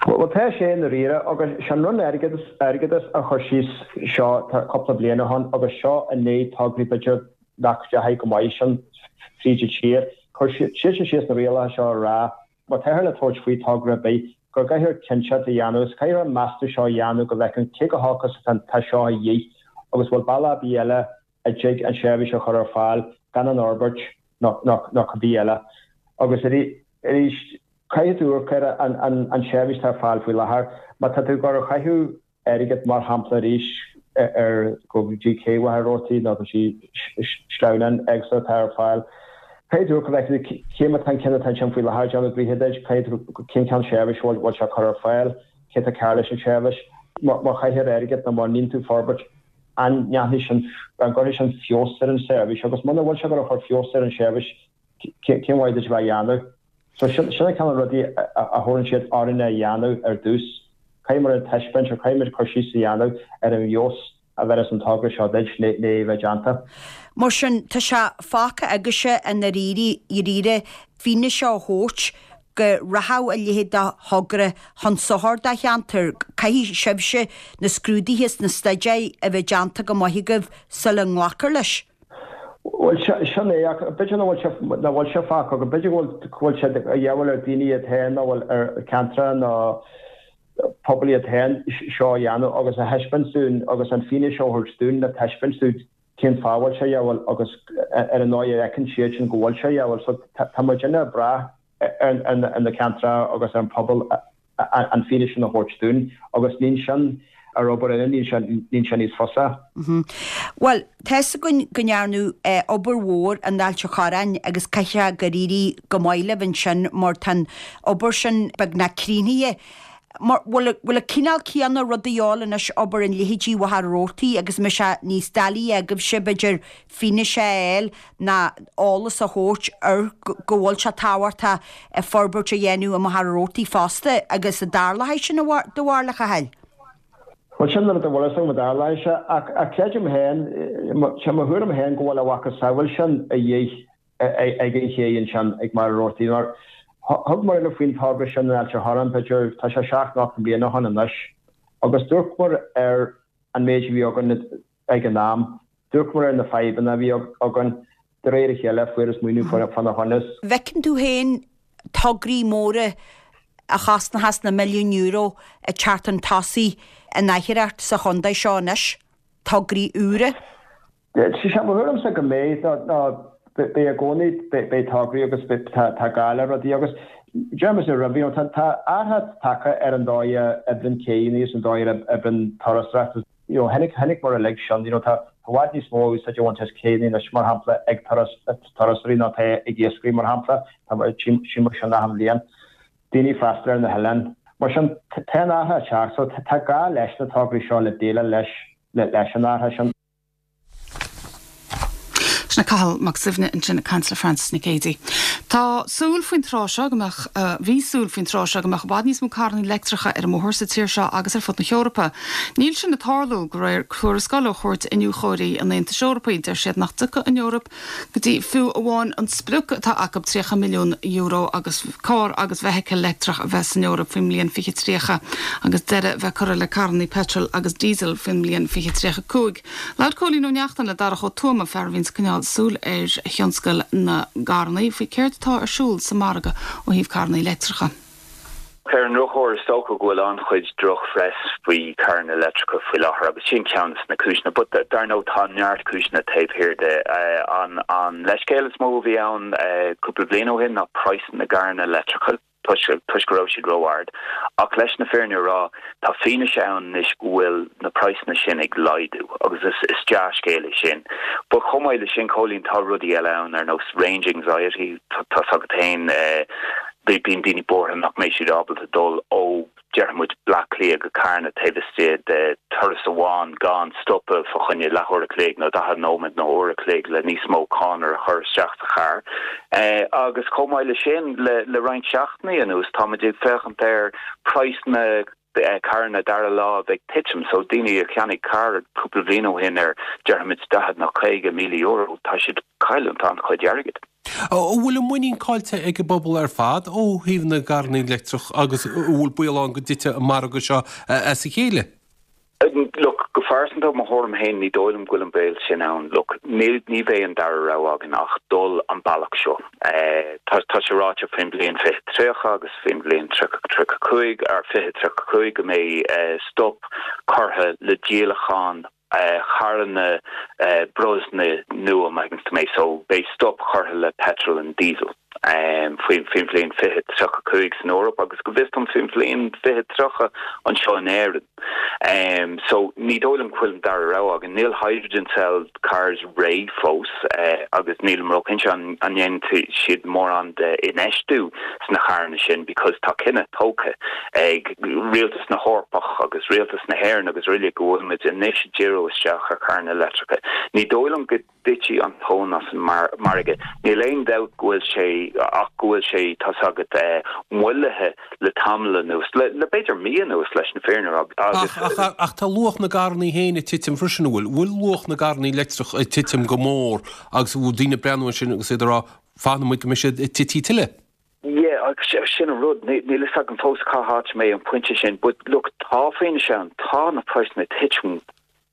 Bhuel tá sé i ndáiríre agus sin Roinn Airgeadas Airgeadas a chuir síos seo cúpla bliain ó shin agus seo i ndiaidh tograí b'fhéidir nach ndeachaigh go maith sin fríd an tír. Chuir siadsan síos na rialacha seo a rá, má táthar le tabhairt faoi togra ar bith, go gcaithfear cinnteacht a dhéanamh agus caithfear an measúnú seo a dhéanamh go bhfeiceann cé chomh holc is atá seo a dhíth agus bhfuil bealach ar bith eile a dtig an seirbhís a chur ar fáil gan an fhorbairt nó cibé eile. Agus arís, caithfidh tú amharc ar an seirbhís atá ar fáil faoi láthair. Má tá tú ag dul a chaitheamh airgead mar shampla arís ar go dtí cé Mhachaire Rabhartaigh nó go dtí sleamhnáin éagsúla atá ar fáil. Caithfidh tú go bhfeicfidh tú cé má tá an ceann atá ansin faoi láthair ag déanamh gnoithe duit, caithfidh tú cén cineál seirbhís a bhfuil sé ag cur ar fáil, cé atá cearr leis an tseirbhís. Má chaithfear airgead nó má níonn tú forbairt, an ndéanfaidh sin, an gcuirfidh sin feabhas ar an tseirbhís agus muna bhfuil sé ag dul a chur feabhas ar an tseirbhís, cén mhaith duit a bheith á dhéanamh? So sin sin an cineál rudaí a thabharann siad orainn a dhéanamh ar dtús. Caithfidh muid a taispeáint or caithfidh muid cur síos a dhéanamh ar an bhfeabhas a bheireas an togra seo duit le le bheith déanta. Mar sin, tá sé fágtha agaibhse i ndáiríre fianaise a thabhairt go rachadh a leithéid de thogra chun sochair do cheantar. Caithfidh sibhse na scrúduithe is na staidéir a bheith déanta go maith agaibh sula nglacfar leis. Bhuel, sin é, ach b'fhéidir nach bhfuil sé, nach bhfuil sé fágtha againn, b'fhéidir go bhfuil, go bhfuil sé a dhíobháil ar daoine iad féin nó bhfuil ar ceantracha nó pobail iad féin seo a dhéanamh agus a thaispeáint dúinn agus an fianaise a thabhairt dúinn le taispeáint dúinn cén fáth a bhfuil sé a dhíobháil agus ar an ndóigh a fheiceann siad sin go bhfuil sé a dhíobháil. So tá muidinne ag brath ar ar na ceantracha agus ar an pobal an fianaise sin a thabhairt dúinn agus níonn sin ar obair eile, níonn sé níonn sé níos fusa. Bhuel, tá's againn go ndearnadh obair mhór in Ailt an Chorráin agus caithfidh sé gur éirigh go maith libh ansin mar tá an obair sin beagnach críochnaithe. Mar, bhfuil, bhfuil an cineál céanna rud a dhíobháil anois obair in leithéidí Mhachaire Rabhartaigh agus an mbeidh sé níos doiligh agaibhse b'fhéidir fianaise a fháil ná eolas a thabhairt ar go bhfuil sé tábhachtach forbairt a dhéanamh i Machaire Rabhartaigh fosta agus an dtarlóidh sin do bharúil a Chathail? Bhuel sin rud a bhfuil fhios agam an dtarlóidh sé ach ach creidim féin, sé mo thuairim féin go bhfuil a mhacasamhail sin a dhíth ag an ché ansin ag Machaire Rabhartaigh mar thug muid faoin togra sin in Ailt an Chorráin b'fhéidir tá sé seacht nó ocht mbliana ó shin anois agus d'amharcamar ar an méid a bhí againn ag an am, d'amharcamar ar na fadhbanna a bhí againn, de réir a chéile fuarthas maoiniú fána choinne. Bhfeiceann tú féin tograí móra a chosnóchas na milliúin euro ag teacht chun tosaigh in oidhreacht sa chontae seo anois, tograí úra? Sé mo thuairimse go mbeidh, nó beidh i gcónaí, beidh tograí agus tá gá le rudaí agus deirimse roimhe, you know, tá athrú tagtha ar an dóigh a oibríonn céanna agus an dóigh a oibríonn turasóireacht. You know, tháinig, tháinig mar a lig sin, you know, tá i bhfad níos mó úsáid a bhaint as céanna anois, mar shampla, ag turas, turasóirí ná tá ag iascairí, mar shampla, tá tchím mar sin achan bhliain, daoine ag freastal ar na hoileáin. Mar sin, tá an athrú ag teacht, so tá gá leis na tograí seo le déileáil leis, leis an athrú sin. Sin é Cathal Mac Suibhne ansin ag caint le Frances Nic Géadaigh. Tá súil faoin tráth seo go mbeadh, bhí súil faoin tráth seo go mbeadh i bhfad níos mó carranna leictreacha ar an mbóthar sa tír seo agus ar fud na hEorpa. Níl sin ag tarlú, de réir tuarascáil ó Chúirt Iniúchóirí an Aontais Eorpaigh. Deir siad nach dtiocfaidh an Eoraip go dtí fiú amháin an sprioc atá acu tríocha milliún euro agus carr agus feithicil leictreach a bheith san Eoraip faoin mbliain fiche tríocha agus deireadh bheith curtha le carranna petrol agus diesel faoin mbliain fiche tríocha cúig. Labhair Cóilín Ó Neachtain le Darach Ó Tuama, fear a bhíonns ag coinneáil súil ar thionscal na gcarranna, faoi céard atá ar siúl sa mhargadh ó thaobh carranna leictreacha. Ar an ndrochuair, is dócha go bhfuil an-chuid drochphress faoi charranna leictreacha faoi láthair agus sin ceann de na cúiseanna. But dar ndóigh tá neart cúiseanna taobh thiar de. An an leithscéal is mó a bhí ann cúpla bliain ó shin ná praghas na gcarranna leictreacha. toisc toisc go raibh siad ró-ard. Ach leis na fírinne a rá, tá fianaise ann anois go bhfuil na praghsanna sin ag laghdú agus is is dea-scéal é sin. But chomh maith le sin, Cóilín, tá rudaí eile ann ar nós range anxiety, tá's agat féin, bíonn daoine buartha nach mbeidh siad ábalta dul ó déarfaidh muid Bleá Cliath go Carna taobh istigh de turas amháin gan stopadh fá choinne leathuair a chloig nó daichead nóiméad nó uair a chloig le níos mó cónra a chur isteach sa charr. Agus chomh maith le sin, le roinnt seachtainí anuas táimid ag féachaint ar praghas na carranna dara láimh ag titim. So daoine a cheannaigh carr cúpla bliain ó shin ar déarfaidh muid daichead nó caoga míle euro, tá siad ag cailliúint an-chuid airgid. An bhfuil an muinín caillte ag an bpobal ar fad ó thaobh na gcarranna leictreach agus an bhfuil baol ann go dtitfidh an margadh seo as a chéile? Look, go phearsanta, mo thuairim féin, ní dóigh liom go bhfuil an baol sin ann. Look, níl, ní bheidh an dara rogha againn ach dul an bealach seo. Tá, tá sé ráite faoin bhliain fiche tríocha agus faoin bhliain tríocha tríocha cúig, ar fiche tríocha cúig go mbeidh stop curtha le díolachán charranna breosla nua, má thuigeann tú mé. So beidh stop curtha le petrol and diesel faoin faoin bhliain fiche tríocha cúig san Eoraip agus go bhfios dom faoin bhliain fiche tríocha anseo in Éirinn. So ní dóigh liom go bhfuil an dara rogha againn. Níl hydrogen cell cars réidh fós agus nílim róchinnte an an ndéanfaidh siad mórán de infheistiú sna carranna sin because tá cinneadh tógtha ag Rialtas na hEorpach agus Rialtas na hÉireann agus araile go bhfuil muid anois ag díriú isteach ar charranna leictreacha. Ní dóigh liom go dtitfidh an tóin as an margadh. Níl aon dabht go bhfuil sé ach go bhfuil sé, tá's agat, moillithe le tamall anuas, le b'fhéidir mí anuas leis an fírinne a rá agus. Ach, ach tá luach na gcarranna féin ag titim freisin, an bhfuil? Bhfuil luach na gcarranna leictreach ag titim go mór agus an bhfuil daoine ag breathnú ansin agus iad ag rá, fanfaidh muid go mbeidh siad ag titim tuilleadh? Yeah, agus sin an rud, níl fhios agam fós cá háit a mbeidh an pointe sin, but look, tá fianaise ann, tá na praghsanna ag titim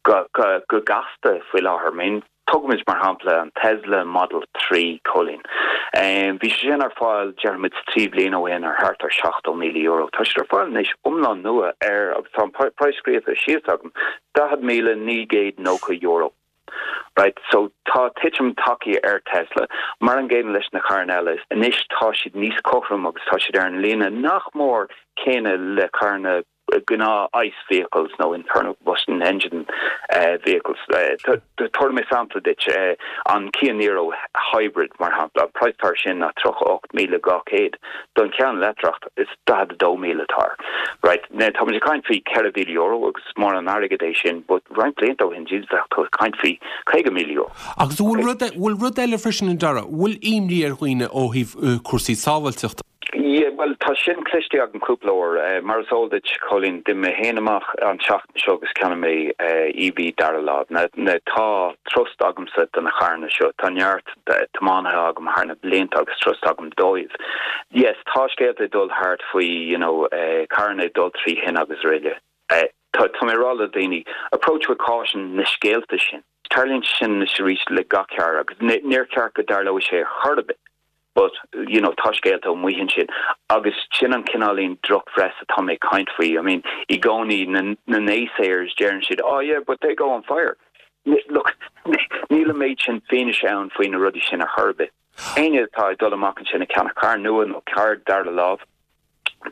go, go, go gasta faoi láthair. I mean, tógfaimid mar shampla an Tesla Model trí, Cóilín. Bhí sé sin ar fáil, déarfaimid, trí bliana ó shin ar thart ar seachtó míle euro. Tá siad ar fáil anois iomlán nua ar, agus tá an praghas scríofa síos agam, daichead míle naoi gcéad nócha euro. Right, so tá titim tagtha ar Tesla, mar an gcéanna leis na carranna eile. Anois tá siad níos cothrom agus tá siad ar an líne nach mór céanna le carranna gnáth ICE vehicles nó internal combustion engine vehicles. Tabharfaidh mé sampla duit, an Kia Niro Hybrid mar shampla, an praghas atá air sin ná tríocha ocht míle dhá chéad. Don cheann leictreach is daichead a dó míle atá air. Right, now táimid ag caint faoi ceithre mhíle euro agus is mór an airgead é sin but roinnt blianta ó shin, Jesus, bheadh tú ag caint faoi caoga míle euro. Agus an bhfuil rud, bhfuil rud eile freisin a Dhara, bhfuil imní ar dhaoine ó thaobh cúrsaí sábháilteachta? Yeah, bhuel, tá sin cloiste agam cúpla uair. Mar is eol duit, Cóilín, d'imigh mé féin amach an tseachtain seo agus cheannaigh mé EV dara láimh. Now, now tá trust agamsa do na carranna seo. Tá neart tiománaithe agam thar na blianta agus trust agam dóibh. Yes, tá scéalta ag dul thart faoi, you know, carranna ag dul trí thine agus araile. Tá, tá mé ag rá le daoine, approach with caution na scéalta sin. Tarlaíonn sé sin anois arís le gach carr agus níor cheart go dtarlóidh sé ar chor ar bith. But, you know, tá scéalta amuigh ansin agus sin an cineáilín drochphress atá mé ag caint faoi. I mean, i gcónaí na, na naysayers deireann siad, oh yeah, but they go on fire. Look, níl an méid sin fianaise ann faoi na rudaí sin ar chor ar bith. Éinne atá ag dul amach ansin ag ceannach carr nua nó carr dara lámh,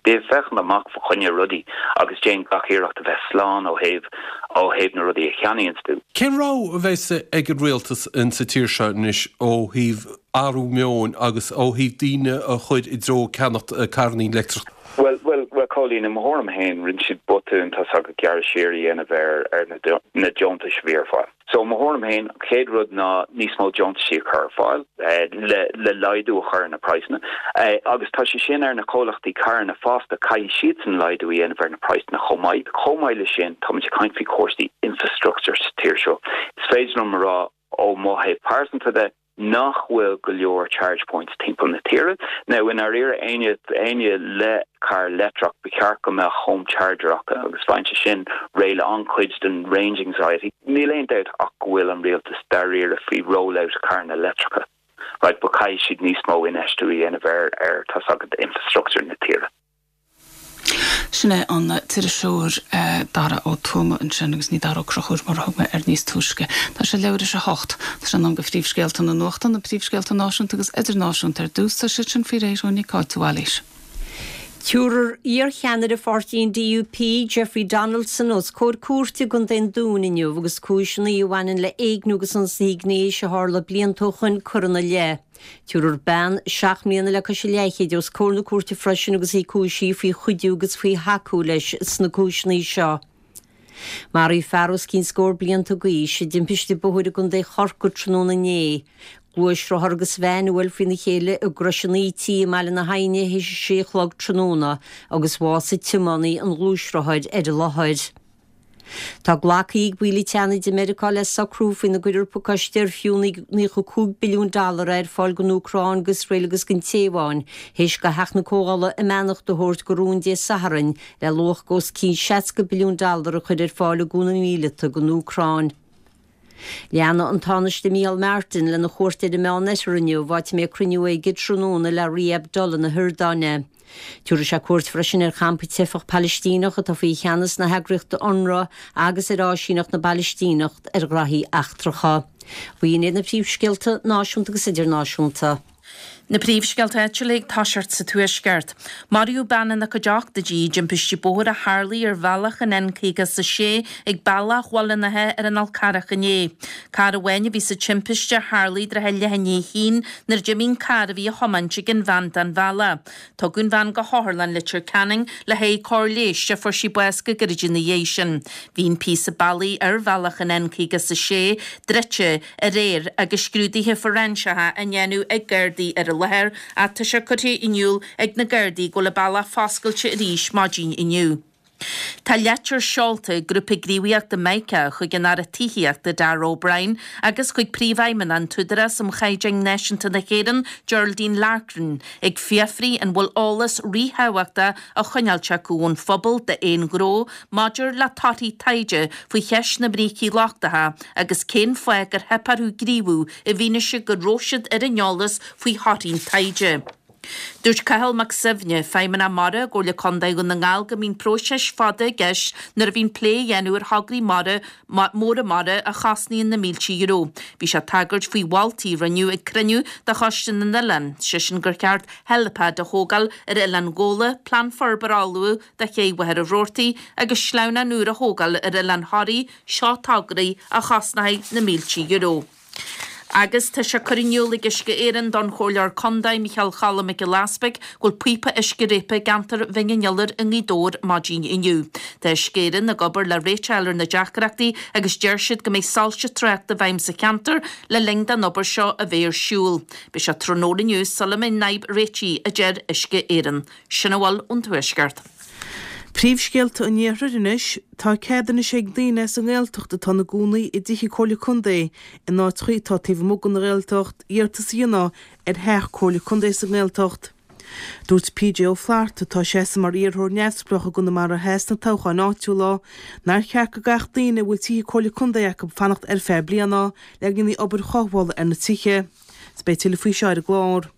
bí ag féachaint amach fá choinne rudaí agus déan gach iarracht a bheith slán ó thaobh ó thaobh na rudaí a cheannaíonns tú. Cén rogha a bheas ag an rialtas in sa tír seo anois ó thaobh athrú meoin agus ó thaobh daoine a chur i dtreo ceannacht carranna leictreach? Bhuel, bhuel, bhuel, Cóilín, i mo thuairim féin, rinne siad botún, tá 's agat, gearradh siar a dhéanamh ar, ar na, na deontais a bhí ar fáil. So, i mo thuairim féin, an chéad rud ná níos mó deontaisí a chur ar fáil, le, le laghdú a chur ar na praghsanna. Agus tá sé sin ar na comhlachtaí carranna fosta, caithfidh siadsan laghdú a dhéanamh ar na praghsanna chomh maith. Chomh maith le sin, táimid ag caint faoi chúrsaí infrastructure sa tír seo. Is féidir liom a rá ó mo thaobh pearsanta de, nach bhfuil go leor charge points timpeall na tíre. Now, i ndáiríre, éinne, éinne le carr leictreach, ba cheart go mbeadh home charger acu agus faigheann sé sin réidh le an-chuid den range anxiety. Níl aon dabht ach go bhfuil an rialtas dáiríre faoi rollout carranna leictreacha. Right, but caithfidh siad níos mó infheistiú a dhéanamh ar, ar, tá 's agat, infrastructure na tíre. Sin é an t-iriseoir Dara Ó Tuama ansin agus ní Dara Ó Conchúir mar a thug mé air níos túisce. Tá sé leathuair théis a hocht. Tá sé in am do phríomhscéalta na nuachta, na príomhscéalta náisiúnta agus idirnáisiúnta ar dtús, tá siad sin faoi réir ó Nic Áit Bhailís. Tabharfar iarcheannaire pháirtí an DUP, Jeffrey Donaldson, os comhair cúirte i gContae an Dúin inniu agus cúiseanna a bhaineann le éigniú agus ionsaí gnéis a tharla blianta ó shoin curtha ina leith. Tabharfar bean seacht mbliana le cois a leathchéid os comhair na cúirte freisin agus í cúisithe faoi chuidiú agus faoi thacú leis sna cúiseanna seo. Maraíodh fear os cionn scór blianta d'aois i dtimpiste bóthair i gContae Chorcaí tráthnóna inné. Gluaisrothar agus veain a bhuail faoina chéile i gCrois an Íti i mBaile na hAidhne théis a sé a chlog tráthnóna agus bhásaigh tiománaí an ghluaisrothair ar an láthair. Tá glactha ag baill an tSeanaid i Meiriceá le socrú faoina gcuirfear pacáiste ar fiú naocha cúig billiún dollar ar fáil don Úcráin, d'Iosrael agus don Téaváin, théis do Theach na Comhdhála a mbeannacht a thabhairt do rún Dé Sathairn le luach os cionn seasca billiún dollar a chur ar fáil i gcúnamh míleata don Úcráin. Leanfaidh an Tánaiste Micheál Martin lena chuairt ar an Meánoirthear inniu, áit a mbeidh cruinniú aige tráthnóna le Rí Abdullah na hIordáine. Tabharfaidh sé cuairt freisin ar champa teifeach Palaistíneach atá faoi cheannas na heagraíochta UNRWA agus ar áisíneacht na bPalaistíneach ar ghraithí eachtracha. B'in iad na príomhscéalta náisiúnta agus idirnáisiúnta. Na príomhscéalta áitiúla ag toiseacht sa Tuaisceart. Maraíodh bean ina cuideachta i dtimpiste bóthair a tharlaigh ar bhealach an N caoga is a sé ag Bealach Bhaile an Átha ar an Fhál Carrach inné. Carr amháin a bhí sa timpiste a tharlaigh i dtrátha leath i ndiaidh a haon nuair a d'imigh an carr a bhí á thiomáint ag an bhean den bhealach. Tugadh an bhean go hOtharlann Leitir Ceanainn le haghaidh cóir leighis ach fuair sí bás go gairid ina dhiaidh sin. Bhí an píosa bealaigh ar bhealach an N caoga is a sé druidte aréir agus scrúduithe fóiréinseacha á ndéanamh ag Gardaí ar an láthair ach tá sé curtha in iúl ag na Gardaí go bhfuil an bealach foscailte arís maidin inniu. Tá litir seolta ag grúpa gníomhaíochta Mica chuig an Aire Tithíochta Darragh O'Brien agus chuig Príomhfheidhmeannach an tÚdarás um Chaighdeáin Náisiúnta na hÉireann, Geraldine Larkin, ag fiafraí an bhfuil eolas ríthábhachtach á choinneáilt acu ón phobal d'aon ghnó maidir le torthaí taighde faoi cheist na mbrící lochtacha agus cén fáth gur theip orthu gníomhú i bhfianaise go raibh siad ar an eolas faoi thorthaí an taighde. Dúirt Cathal Mac Suibhne, Feidhmeannach Mara i gComhairle Contae Dhún na nGall go mbíonn próiseas fada i gceist nuair a bhíonn plé a dhéanamh ar thograí mara móra mara a chosnaíonn na mílte euro. Bhí sé ag tagairt faoi mholtaí a rinneadh ag cruinniú de Choiste na nOileán, sé sin gur cheart helipad a thógáil ar Oileán Ghabhla, plean forbartha a ullmhú do ché Mhachaire Rabhartaigh agus sleamhnán úr a thógáil ar Oileán Thoraí, seo tograí a chosnóidh na mílte euro. Agus tá sé curtha in iúl ag Uisce Éireann don Chomhairleoir Contae Micheál Choilm Mac Giolla Easpaig go bhfuil píopa uisce réabtha i gceantar Bhinn an Iolair i nGaoth Dobhair maidin inniu. Tá Uisce Éireann ag obair le réiteach a fháil ar na deacrachtaí agus deir siad go mbeidh soilse tráchta i bhfeidhm sa cheantar le linn don obair seo a bheith ar siúl. Beidh sé tráthnóna inniu sula mbeidh an fhadhb réitithe, a deir Uisce Éireann. Sin a bhfuil ón Tuaisceart. Príomhscéalta an Iarthair anois, Tá cead anois ag daoine as an nGaeltacht atá ina gcónaí i dtithe Comhairle Contae in áiteacha atá taobh amuigh den Ghaeltacht iarratas a dhéanamh ar theach Comhairle Contae sa nGaeltacht. Dúirt PJ Ó Flatharta, atá ag seasamh mar iarrthóir neamhspleách i gConamara Theas sna toghcháin áitiúla, nár cheart go gcaithfeadh daoine a bhfuil tithe Comhairle Contae acu fanacht ar feadh bliana le go ndéanfaí obair chothabhála ar na tithe. Is beidh tuilleadh faoi seo ar an gclár.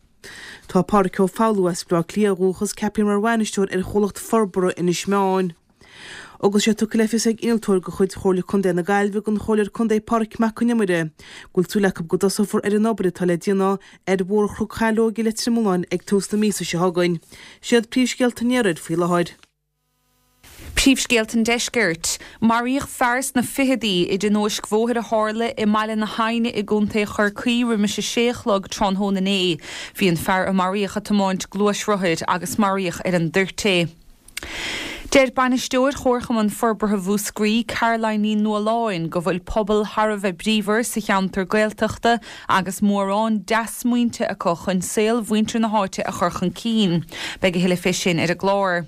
Tá Pádraic Ó Foghlú as Baile Átha Cliath ó dhúchas ceaptha mar bhainisteoir ar chomhlacht forbartha Inis Meáin. Agus sé tugtha le fios ag innealtóir de chuid Chomhairle Contae na Gaillimhe don Chomhairleoir Contae Pádraig Mac Con Iomaire go bhfuil súil acu go dtosófar ar an obair atá le déanamh ar Bhóthar Chnoc Shaileog i Leitir Mealláin ag tús na míosa seo chugainn. Siad príomhscéalta an iarthair faoi láthair. Príomhscéalta an Deiscirt. Maraíodh fear sna fichidí i dtionóisc bhóthair a tharla i mBaile na hAidhne i gContae Chorcaí roimis a sé a chlog tráthnóna inné. Bhí an fear a maraíodh ag tiomáint gluaisrothair agus maraíodh ar an dtoirt é. Deir Bainisteoir Chomharchumann Forbartha Mhúscraí, Caroline Ní Nualláin, go bhfuil pobal thar a bheith bríomhar sa cheantar Gaeltachta agus mórán dea-smaointe acu chun saol mhuintir na háite a chur chun cinn. Beidh a thuilleadh fé sin ar an gclár.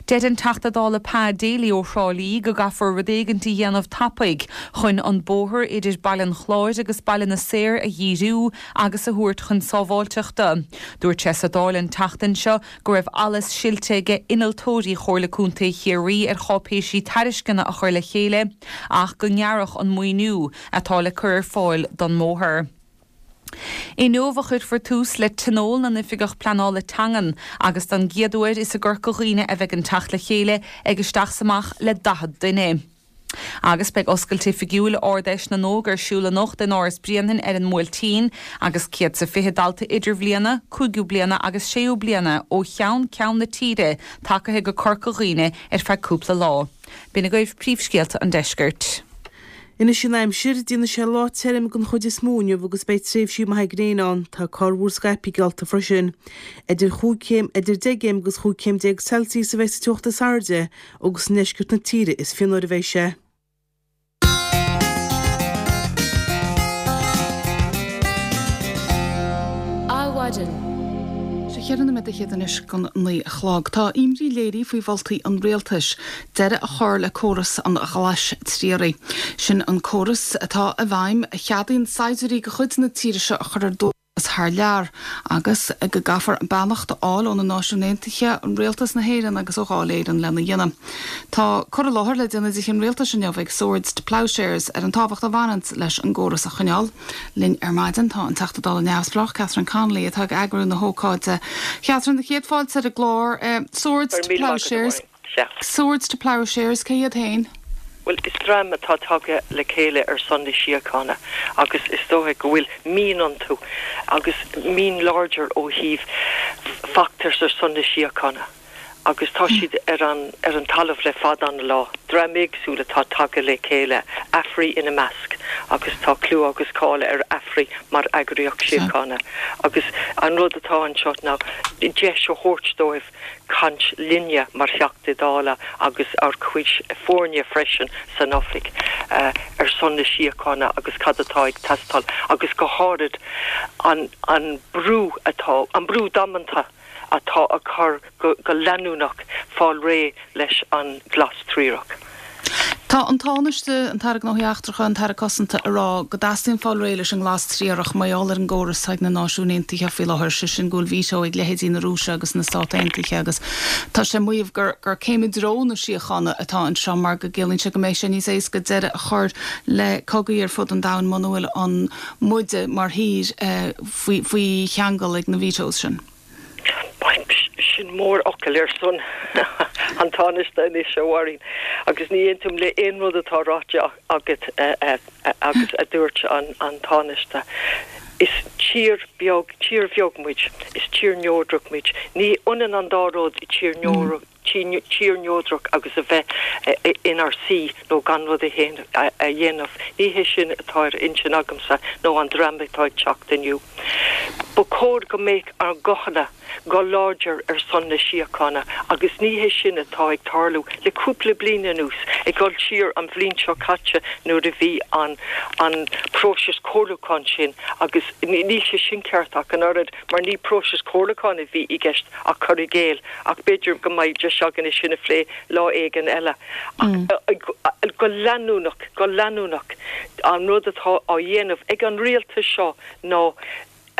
Deir an Teachta Dála Pa Daly ó Thrá Lí go gcaithfear rud éigint a dhéanamh tapaidh chun an bóthar idir Baile an Chláir agus Baile na Saor a dhíriú agus a thabhairt chun sábháilteachta. Dúirt sé sa Dáil an tseachtain seo go raibh allas silte aige innealtóirí Chomhairle Contae Chiarraí ar cháipéisí tairisceana a chur le chéile ach go ngearrfadh an maoiniú atá le cur ar fáil don mbóthar. Inniu a chuirfear tús le Tionól na nOifigeach Pleanála Teangan agus don gcéad uair is i gCorca Dhuibhne a bheidh an teacht le chéile ag isteach 's amach le daichead duine. Agus beidh oscailt oifigiúil Ard-Fheis na nÓg ar siúl anocht in Áras Bhrianain ar an mBuailtín agus céad 's a fiche dalta idirbhliana, cúigiú bliana agus séú bliana ó cheann ceann na tíre tagaithe go Corca Dhuibhne ar feadh cúpla lá. B'in agaibh príomhscéalta an deiscirt. Anois an aimsir, déanfaidh sé lá tirim den chuid is mó inniu agus beidh tréimhsí maithe gréine ann. Tá corrmhúr scaipthe geallta freisin. Idir chúig chéim, idir deich gcéim agus chúig chéim déag Celsius a bheidh sa teocht is airde agus i ndeisceart na tíre is fionnuaire a bheidh sé. Adhmhaidin. Sé cheithre nóiméad fhichead anois don naoi a chlog. Tá imní léirithe faoi mholtaí an rialtais deireadh a chur le córas an ghlais triaraigh. Sin an córas atá i bhfeidhm a cheadaíonn saighdiúirí de chuid na tíre seo a chur ar dualgas thar lear agus go gcaithfear beannacht a fháil ó na Náisiúin Aontaithe, an Rialtas na hÉireann agus ó Dháil Éireann lena dhéanamh. Tá cur i láthair le déanamh i dTithe an Rialtais inniu ag Swords to Ploughshares ar an tábhacht a bhaineanns leis an gcóras a choinneáil. Linn ar maidin tá an Teachta Dála Neamhspleách, Catherine Connolly, atá ag eagrú na hócáide. Catherine, céad fáilte ar an gclár. Swords to Ploughshares. Swords to Ploughshares, cé hiad féin? Bhuel, is dream atá tagtha le chéile ar son na síochána agus is dóigh go bhfuil mian iontu agus mian láidir ó thaobh feachtas ar son na síochána. agus tá siad ar an ar an talamh le fada an lá. Dream éagsúil atá tagtha le chéile, Afri ina measc, agus tá clú agus cáil ar Afri mar eagraíocht síochána. Agus an rud atá anseo ná deis a thabhairt dóibh caint linne mar Theachtaí Dála agus ár gcuid foirne freisin san oifig ar son na síochána agus cad atá ag teastáil agus go háirid an an brú atá, an brú damanta atá á chur go leanúnach fáil réidh leis an glas triarach. Tá an Tánaiste, an tAire Gnóthaí Eachtracha, an tAire Cosanta ag rá go dteastaíonn fáil réidh leis an nglas triarach mar gheall ar an gcóras atá ag na Náisiúin Aontaithe faoi láthair, sé sin go bhfuil veto ag leithéidí na Rúise agus na Stát Aontaithe agus tá sé ag maíomh gur gur céim i dtreo na síochána atá anseo mar go gciallaíonn sé go mbeidh sé níos éasca deireadh a chur le cogaí ar fud an domhain muna bhfuil an muide mar thír faoi faoi cheangal ag na vetoes sin. Sin mórfhocal ar son an Tánaiste anois, a Mháirín, agus ní aontaím le aon rud atá ráite agat agus a dúirt an Tánaiste. Is tír beag, tír bheag muid, is tír neodrach muid. Ní ionann an dá rud, tír tír neodrach agus a bheith inár suí nó gan rud a dhéanamh. Ní hé sin atá ar intinn agamsa nó an dream atá ag teacht inniu. Ba chóir go mbeadh ár nguthanna go láidir ar son na síochána agus ní hé sin atá ag tarlú le cúpla bliain anuas, ag dul siar an bhliain seo caite nuair a bhí an an próiseas comhairliúcháin sin agus níl sé sin ceart ach an oiread mar ní próiseas comhairliúcháin a bhí i gceist ach cur i gcéill ach b'fhéidir go mbeidh deis againn é sin a phlé lá éigin eile. Ach go leanúnach, go leanúnach an rud atá á dhéanamh ag an rialtas seo ná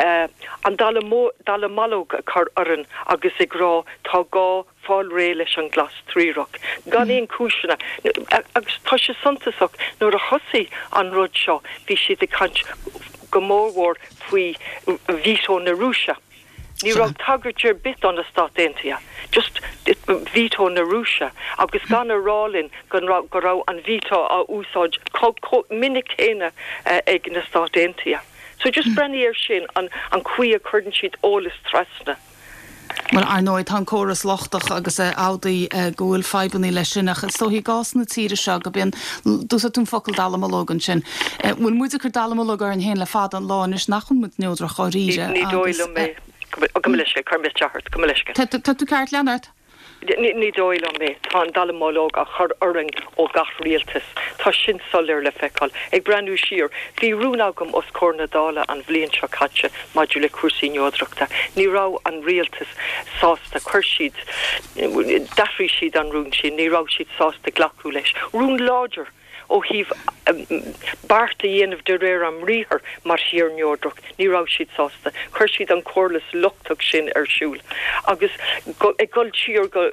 an dallamullóg a chur orainn agus ag rá tá gá fáil réidh leis an glas triarach, gan aon chúiseanna. Agus tá sé suntasach, nuair a thosaigh an rud seo bhí siad ag caint go mórmhór faoi veto na Rúise. Ní raibh tagairt ar bith do na Stáit Aontaithe. Just veto na Rúise agus gan a rá linn go raibh an veto á úsáid chomh minic céanna ag na Stáit Aontaithe. So just breathnaigh air sin, an chaoi a cuireann siad eolas trasna. Bhuel, ar ndóigh, tá an córas lochtach agus amhlaidh go bhfuil fadhbanna leis sin, ach is dóichí i gcás na tíre seo go bíonn, d'úsáid tú an focal dallamullóg ansin, bhfuil muid ag cur dallamullóg orainn féin le fada an lá anois nach bhfuil muid neodrach dháiríre Ní dóigh liom é. Gabh mo leithscéal, cuir mé isteach ort, gabh mo leithscéal. Tá tú ceart, lean ort. Ní dóigh liom é. Tá an dallamullóg á chur orainn ó gach rialtas. Tá sin soiléir le feiceáil. Ag breathnú siar, bhí rún agam os comhair na Dála an bhliain seo caite maidir le cúrsaí neodrachta. Ní raibh an rialtas sásta. Chuir siad, d'athraigh siad an rún sin. Ní raibh siad sásta glacadh leis. Rún láidir! Ó thaobh beart a dhéanamh de réir ár mbriathar mar thír neodrach, ní raibh siad sásta. Chuir siad an córas lochtach sin ar siúl. Agus ag dul siar go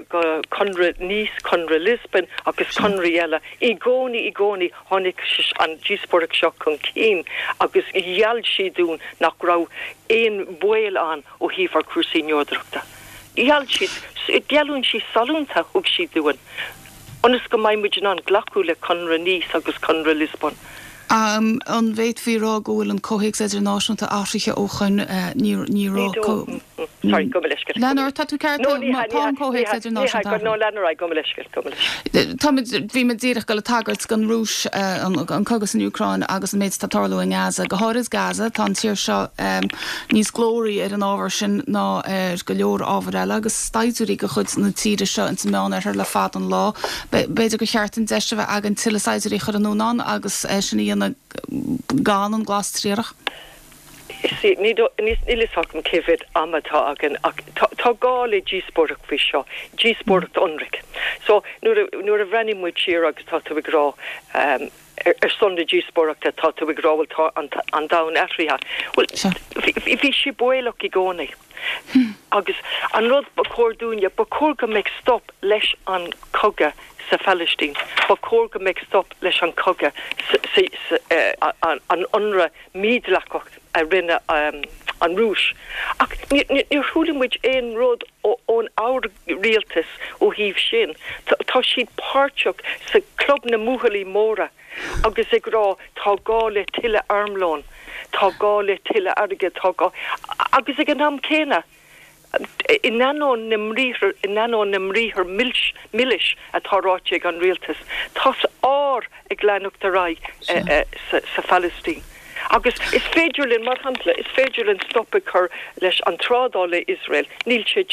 Conradh Nice, Conradh Lisbon agus conraí eile, i gcónaí, i gcónaí tháinig an díospóireacht seo chun cinn agus gheall siad dúinn nach raibh aon bhaol ann ó thaobh ár cúrsaí neodrachta. Gheall siad, geallúintí sollúnta a thug siad dúinn. ionas go mbeidh muid in ann glacadh le Conradh Nice agus Conradh Lisbon. An bhféadfaí a rá go bhfuil an comhthéacs idirnáisiúnta athraithe ó shoin? Ní ní raibh Sorry, gabh mo leithscéal. Lean ort, tá tú ceart, tá an comhthéacs idirnáisiúnta athraithe. No, lean ar aghaidh, gabh mo leithscéal, gabh mo leithscéal. Táimid, bhí mé díreach ag dul ag tagairt don Rúis, an cogadh san Úcráin agus an méid atá ag tarlú i nGaza. Go háirid Gaza, tá an tír seo níos glóraí ar an ábhar sin ná ar go leor ábhar eile agus saighdiúirí de chuid na tíre seo ins an Meánoirthear le fada an lá. B'fhéidir gur cheart an deis a bheith againn tuilleadh saighdiúirí a chur anonn ann agus é sin a dhéanamh gan an glas triarach. Níl fhios agam cé mhéad ama atá againn ach tá gá le díospóireacht faoi seo, díospóireacht ionraic. So nuair a bhreathnaíonn muid siar agus tá tú ag rá, ar son na díospóireachta, tá tú ag rá, bhuel, tá an domhan athraithe. Bhuel, bhí sé baolach i gcónaí. Agus an rud ba chóir dúinne, ba chóir go mbeadh stop leis an chogadh sa Phalaistín, ba chóir go mbeadh stop leis an chogadh, an ionradh mídhleathach a rinne an Rúis. Ach níor chuala muid aon rud ón ár rialtas ó thaobh sin. Tá siad páirteach sa club na mbuachaillí móra agus ag rá tá gá le tuilleadh armlóin, tá gá le tuilleadh airgid, tá gá. Agus ag an am céanna, in ainneoin na mbriathar, in ainneoin na mbriathar milis atá ráite ag an rialtas, tá ár ag leanacht ar aghaidh sa Phalaistín. Agus is féidir linn, mar shampla, is féidir linn stop a chur leis an trádáil le Iosrael, níl sé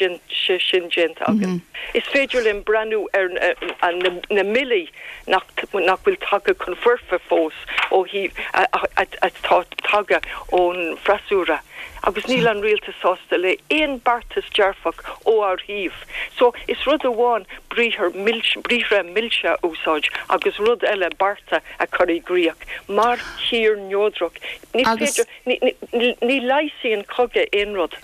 sin déanta againn. Is féidir linn breathnú ar na mbillí nach bhfuil tagtha chun foirfe fós ó thaobh, atá tagtha ón bhfreasúra. Agus níl an rialtas sásta le aon beartas dearfach ó ár thaobh. So, is rud amháin briathar briathra milse a úsáid agus rud eile bearta a chur i gcrích. Mar thír neodrach, ní féidir, ní leigheasann cogadh aon rud.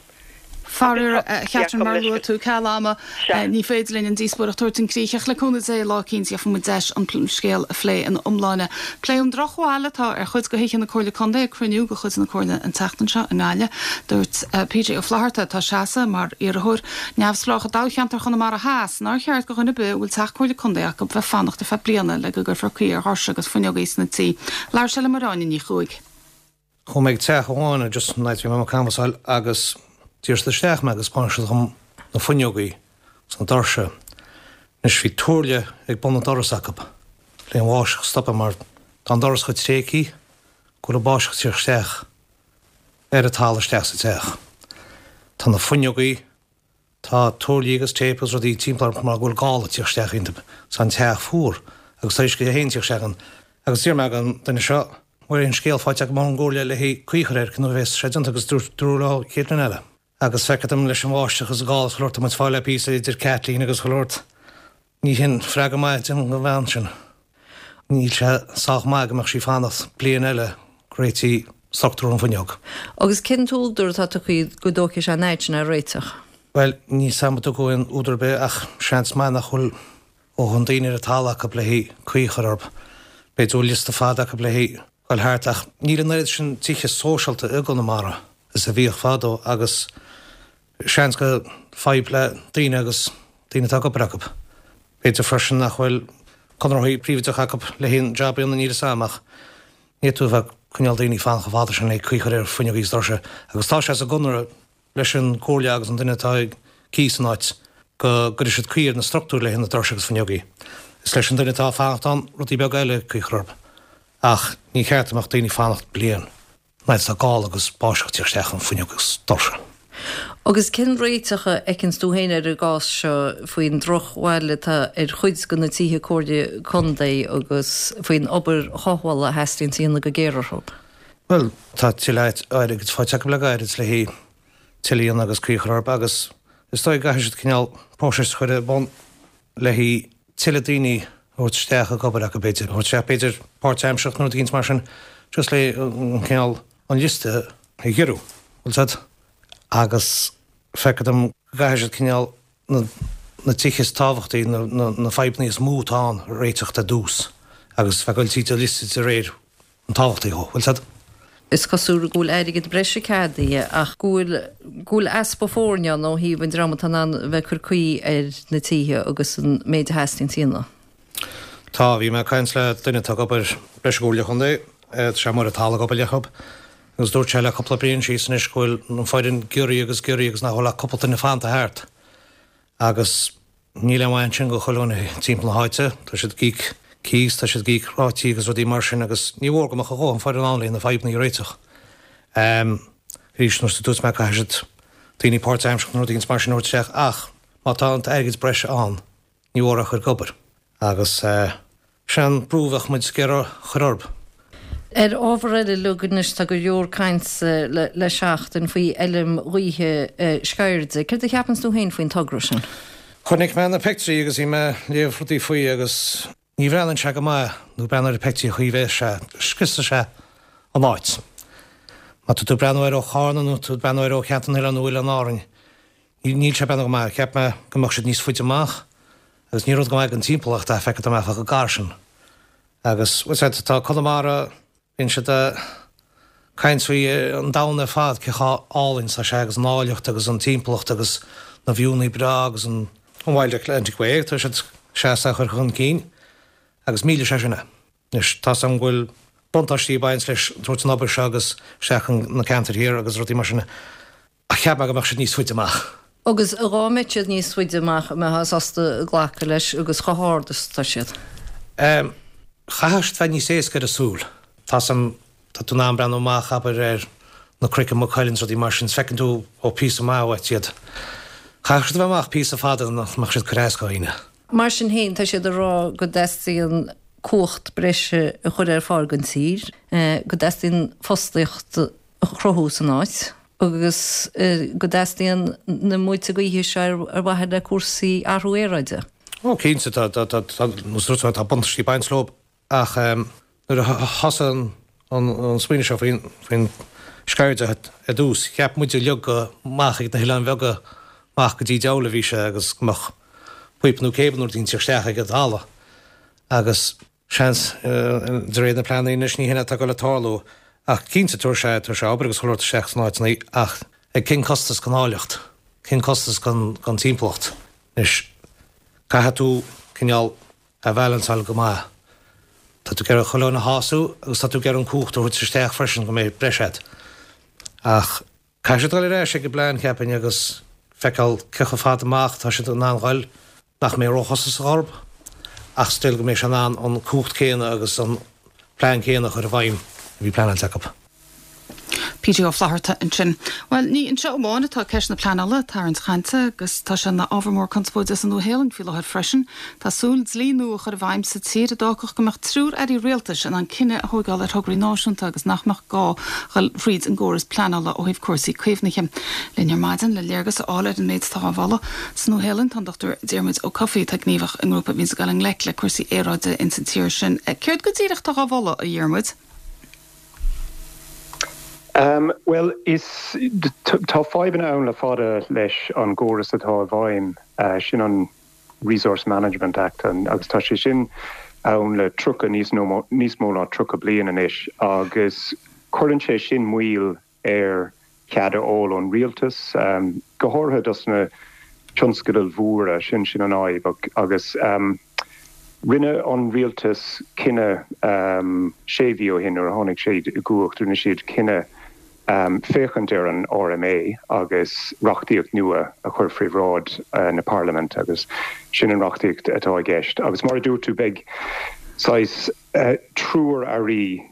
Faraor, a Chatherine, mar a luaigh tú, ceal ama, ní féidir linn an díospóireacht a thabhairt chun críche ach le cúnamh Dé, lá eicínt gheobhaidh muid deis an scéal a phlé ina iomláine. Pléadh an drochbhail atá ar chuid de thithe na Comhairle Contae ag cruinniú de chuid na Comhairle an tseachtain seo i nGaillimh. Dúirt PJ Ó Flatharta, atá ag seasamh mar iarrthóir neamhspleách i dtoghcheantar Chonamara Theas, nár cheart do dhuine ar bith a bhfuil teach Comhairle Contae acu bheith fanacht ar feadh bliana le go gcuirfear caoi ar dhoirse agus fuinneogaí sna tí. Labhair sé le Máire Áine Ní Chuaig. Chuaigh mé ag teach amháin just an áit a bhí mé ag canbhasáil agus d'iarr siad isteach mé agus thaispeáin siad dhom na fuinneogaí is na doirse. Anois bhí tuairle ag bun an doras acu le an bháisteach a stopadh mar tá an doras chomh tréigthe go bhfuil an bháisteach ag tíocht isteach ar an talamh isteach sa teach. Tá na fuinneogaí, tá tuairlí agus téip agus rudaí timpeall orthu mar go bhfuil gála ag tíocht isteach iontu. Tá an teach fuar agus tá uisce féin ag tíocht isteach ann. Agus d'iarr mé den duine seo, bhfuil aon scéal faighte agam ón gcomhairle le haghaidh caoi a chur air nuair a bheas sé déanta agus dúirt dúradh leo chéad bhliain eile. Agus feictear dom leis an bháisteach agus an gála is chuile shórt tá muid fáil le píosa idir Kathleen agus chuile shórt. Ní hin freagra maith don bhean sin. Níl sé sách maith go mbeadh sí fanacht bliain eile go réití struchtúr an fuinneog. Agus cén t-údar atá tugtha go dtógfaidh sé an fhaid sin a réiteach? Bhuel, níl 's a'm an dtugadh aon údar ar bith ach seans maith nach bhfuil a ndóthain daoine ar an talamh acu le haghaidh caoi a chur orthu. B'fhéidir go bhfuil liosta fada acu le haghaidh dul thart ach níl an oiread sin tithe sóisialta i gConamara is a bhíodh fadó agus seans go fadhb le daoine agus daoine atá ag obair acu. B'fhéidir freisin nach bhfuil conarthaí príobháideacha acu le haon jab a dhéanamh, níl 'fhios a'm ach ní fhéadfá a bheith ag coinneáil daoine ag fanacht chomh fada sin le caoi a chur ar fuinneogaí is doirse agus tá sé sa gconradh leis an gcomhairle agus an duine atá ag cíos an áit go gcuirfidh siad caoi ar na struchtúir le haghaidh na doirse agus fuinneogaí. Is leis an duine atá ag fanacht ann rudaí beaga eile caoi a chur orthu. Ach ní ceart go mbeadh daoine ag fanacht bliain. Nuair atá gála agus báisteach ag teacht isteach an fuinneog agus doirse. Agus cén réiteach a fheiceanns tú féin ar an gcás seo faoin drochbhail atá ar chuid de na tithe Comhairle Contae agus faoin obair chothabhála a theastaíonns a dhéanamh go géar orthu? Bhuel, tá tuilleadh airgid faighte acu le gairid le haghaidh tuilleadh a dhéanamh agus caoi a chur orthu agus is dóigh go gcaithfidh siad cineál próiseas a chur ar bun le haghaidh tuilleadh daoine a thabhairt isteach ag obair acu b'fhéidir, a thabhairt isteach b'fhéidir páirtaimsearach nó rud éicint mar sin just le an cineál an liosta a ghiorrú, bhfuil 'fhios a'd? Agus feictear dom go gcaithfidh siad cineál na na tithe is tábhachtaí, na na na fadhbanna is mó atá ann a réiteach ar dtús agus bheith ag goil tríd an liosta de réir an tábhachtaí dhó, bhfuil 'fhios a'd? Is cosúil go bhfuil airgead breise ceadaithe ach go bhfuil go bhfuil easpa foirne ann ó thaobh an dream atá in ann a bheith ag cur caoi ar na tithe agus an méid a theastaíonns a dhéanamh. Tá, bhí mé ag caint le duine atá ag obair leis an gComhairle Chontae, tá sé amuigh ar an talamh ag obair leob, agus dúirt sé le cúpla bliain síos anois go bhfuil an foireann giorraithe agus giorraithe agus nach bhfuil ach cúpla duine fanta thart agus Níl aon mhaith ansin go chuile dhuine timpeall na háite. Tá siad ag íoc cíos, tá siad ag íoc rátaí agus rudaí mar sin agus ní mhór go mbeadh a dhóthain foireann ann le na fadhbanna a réiteach. Arís, nós a dúirt mé, caithfidh siad daoine páirtaimseartha nó rudaí mar sin a thabhairt isteach ach má tá an t-airgead breise ann, ní mhór é a chur ag obair. Agus. Sin an brú a bheadh muid ag iarraidh a chur orthu. Ar ábhar eile uilig anois, tá go leor cainte le seachtain faoi fheilm ghaoithe Sceirde. Céard a cheapanns tú féin faoin togra sin? Chonaic mé na peictiúirí agus bhí mé ag léamh rudaí faoi agus ní bhreathnaíonn sé go maith nó breathnú ar na peictiúirí an chaoi a bheas sé, scriosfaidh sé an áit. Má tá tú ag breathnú air ó Charna nó tú ag breathnú air ó Cheantar na nOileán nó Oileáin Árainn, níl sé ag breathnú go maith. Cheap mé go mbeadh siad níos faide amach. Agus ní rud go maith don timpeallacht é, feictear dom chomh gar sin. Agus, bhfuil 's a'd, tá Conamara, bíonn siad ag caint faoi an domhan ar fad, cé chomh álainn is atá sé agus an áilleacht agus an timpeallacht agus na viúnnaí breá agus an an Wild Atlantic Way, tá siad sásta a chur chun cinn agus millfidh sé sin é. Anois, tá 's a'm go bhfuil buntáistí ag baint leis tabhairt an obair seo agus isteach chun na ceantair thiar agus rudaí mar sin. Ach cheap mé go mbeadh siad níos faide amach. Agus dhá mbeadh siad níos faide amach, an mbeifeá sásta glacadh leis agus chomh hard is atá siad? Em, chaithfeadh siad bheith níos éasca ar an súil. Tá 's a'm, tá tú in ann breathnú amach, abair, ar na cnoic i Maigh Cuilinn is rudaí mar sin, is feiceann tú ó píosa maith uait iad. Chaithfeadh siad a bheith amach píosa fada nach mbeadh siad ag cur as do dhaoine. Mar sin féin, tá siad ag rá go dteastaíonn cumhacht breise a chur ar fáil don tír, go dteastaíonn fostaíocht a chruthú san áit. agus go dteastaíonn na muilte gaoithe seo ar mhaithe le cúrsaí athrú aeráide. Ó cinnte, tá, tá, tá, tá, tá buntáistí ag baint leo ach nuair a thosaigh an smaoineamh seo faoin, faoin Sceirde ar dtús, cheap muid uilig go amach ag na hoileáin bheaga amach go dtí diabhal a bhí sé agus go mbeadh píopa nó cable nó rud éigin ag teacht isteach ag an talamh agus Seans, de réir na pleananna anois, ní hin atá ag dul a tarlú, ach cinnte, tabharfaidh sé, tabharfaidh sé obair agus chuile shórt isteach sna áiteanna, ach ag cén costas don áilleacht, cén costas don, don timpeallacht? Anois, caithfidh tú cineál a bhalanceáil go maith. Tá tú ag iarraidh chuile dhuine a shású agus tá tú ag iarraidh an cumhacht a thabhairt isteach freisin go mbeidh breis agat. Ach caithfidh siad dul ar ais ag an bplean, cheapfainn, agus feiceáil cé chomh fada amach atá siad in ann dhul. nach mbeidh róchostasach orthu ach still go mbeidh sé in ann an cumhacht céanna agus an plean céanna a chur i bhfeidhm a bhí pleanáilte acu. PJ Ó Flatharta ansin. Bhuel, ní anseo amháin atá ceist na pleanála ag tarraingt chainte agus tá sé ina ábhar mór conspóide sa Nua-Shéalainn faoi láthair freisin. Tá súil dlí nua a chur i bhfeidhm sa tír a d'fhágfadh go mbeadh triúr airí rialtais in ann cinneadh a thóigeáil ar thograí náisiúnta agus nach mbeadh gá dhul thríd an gcóras pleanála ó thaobh cúrsaí caomhnaithe. Linn ar maidin le léargas a fháil ar an méid atá á mholadh sa Nua-Shéalainn tá an Dr Diarmuid Ó Cofaigh atá gníomhach i ngrúpa a bhíonns ag dul i ngleic le cúrsaí aeráide ins an tír sin. Céard go díreach atá á mholadh, a Dhiarmuid? Bhuel, is, tá fadhbanna ann le fada leis an gcóras atá i bhfeidhm, sin an Resource Management Act agus tá sé sin ann le tríocha, níos níos mó ná tríocha bliain anois agus cuireann sé sin moill ar chead a fháil ón rialtas, go háirithe dos na tionscadail mhóra, sin sin an fhadhb agus rinne an rialtas cinneadh sé mhí ó shin nuair a tháinig siad i gcumhacht, rinne siad cinneadh féachaint ar an R M A agus reachtaíocht nua a chur faoi bhráid na Parlaiminte agus sin an reachtaíocht atá i gceist. Agus mar a dúirt tú beidh saghas triúr airí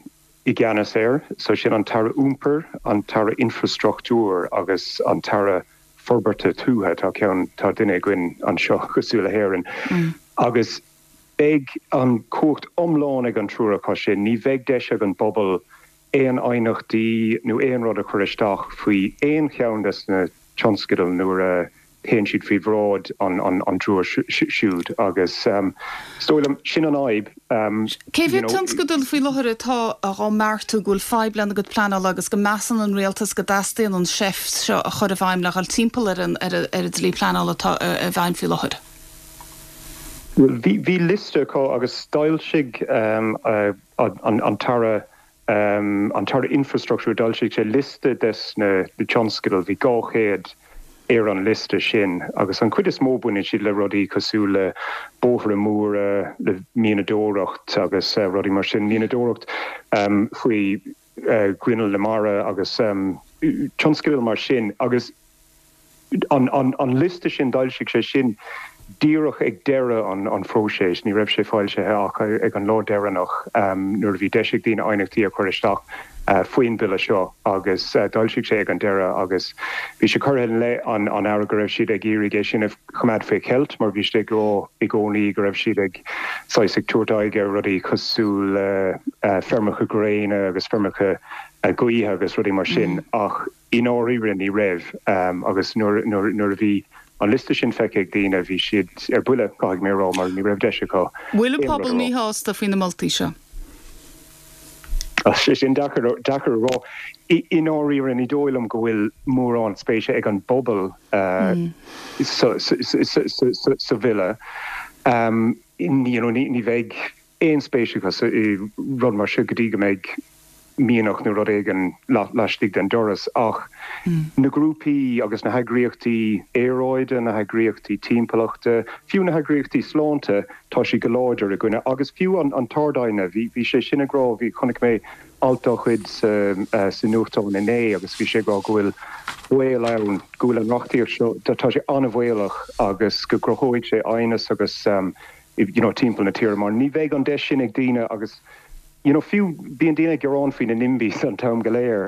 i gceannas air, so sin an tAire Iompair, an tAire Infrastruchtúir agus an tAire Forbartha Tuaithe, tá ceann tá duine againn anseo cosúil le hÉirinn. Agus beidh an cumhacht iomlán ag an triúr acu sin, ní bheidh deis ag an bpobal aon aighneachtaí nó aon rud a chur isteach faoi aon cheann des na tionscadail nuair a théann siad faoi bhráid an an an triúr siúd agus is dóigh liom sin an fhadhb. Cé mhéad tionscadal faoi láthair atá á mbeartú go bhfuil fadhb lena gcuid pleanála agus go measann an rialtas go dteastaíonn an seift seo a chur i bhfeidhm le dhul timpeall ar an ar an dlí pleanála atá i bhfeidhm faoi láthair? Well bhí bhí liosta acu agus d'fhoilsigh an an tAire an tAire Infrastruchtúir d'fhoilsigh sé liosta des na tionscadail bhí dhá chéad ar an liosta sin agus an chuid is mó baineann siad le rudaí cosúil le bóithre móra le mianadóireacht agus rudaí mar sin mianadóireacht faoi ghrinneall na mara agus tionscadail mar sin agus an an an liosta sin d'fhoilsigh sé sin díreach ag deireadh an an phróiseas ní raibh sé foilsithe ach ag an lá deireanach nuair a bhí deis ag daoine aighneachtaí a chur isteach faoin bille seo agus d'fhoilsigh sé ag an deireadh agus bhí sé curtha i leith an an aire go raibh siad ag iarraidh é sin a choimeád faoi cheilt mar bhí siad ag rá i gcónaí go raibh siad ag saghas ag tabhairt aghaidh ar rudaí cosúil le feirmeacha gréine agus feirmeacha gaoithe agus rudaí mar sin ach i ndáiríre ní raibh agus nuair nuair a bhí an liosta sin feicthe ag daoine bhí siad ar buile caithfidh mé a rá mar ní raibh deis acu. Bhfuil an pobal míshásta faoi na moltaí seo? Sé sin deacair deacair a rá. I ndáiríre ní dóigh liom go bhfuil mórán spéise ag an bpobal sa bhille. Ní bheidh aon spéis acu i rud mar seo go dtí go mbeidh mianach nó rud éigin laistigh den doras ach na grúpaí agus na heagraíochtaí aeráide na heagraíochtaí timpeallachta, fiú na heagraíochtaí sláinte tá siad go láidir i gcoinne agus fiú an an tArd-Aighne bhí bhí sé sin ag rá bhí chonaic mé alt dá chuid sa sa nuachtán inné agus bhí sé ag rá go bhfuil baol ann go bhfuil an reachtaíocht seo tá sé an-bhaolach agus go gcruthóidh sé aighneas agus um, you know, timpeall na tíre mar ní bheidh an deis sin ag daoine agus you know, fiú bíonn daoine ag gearán faoi na NIMBYs an t-am go léir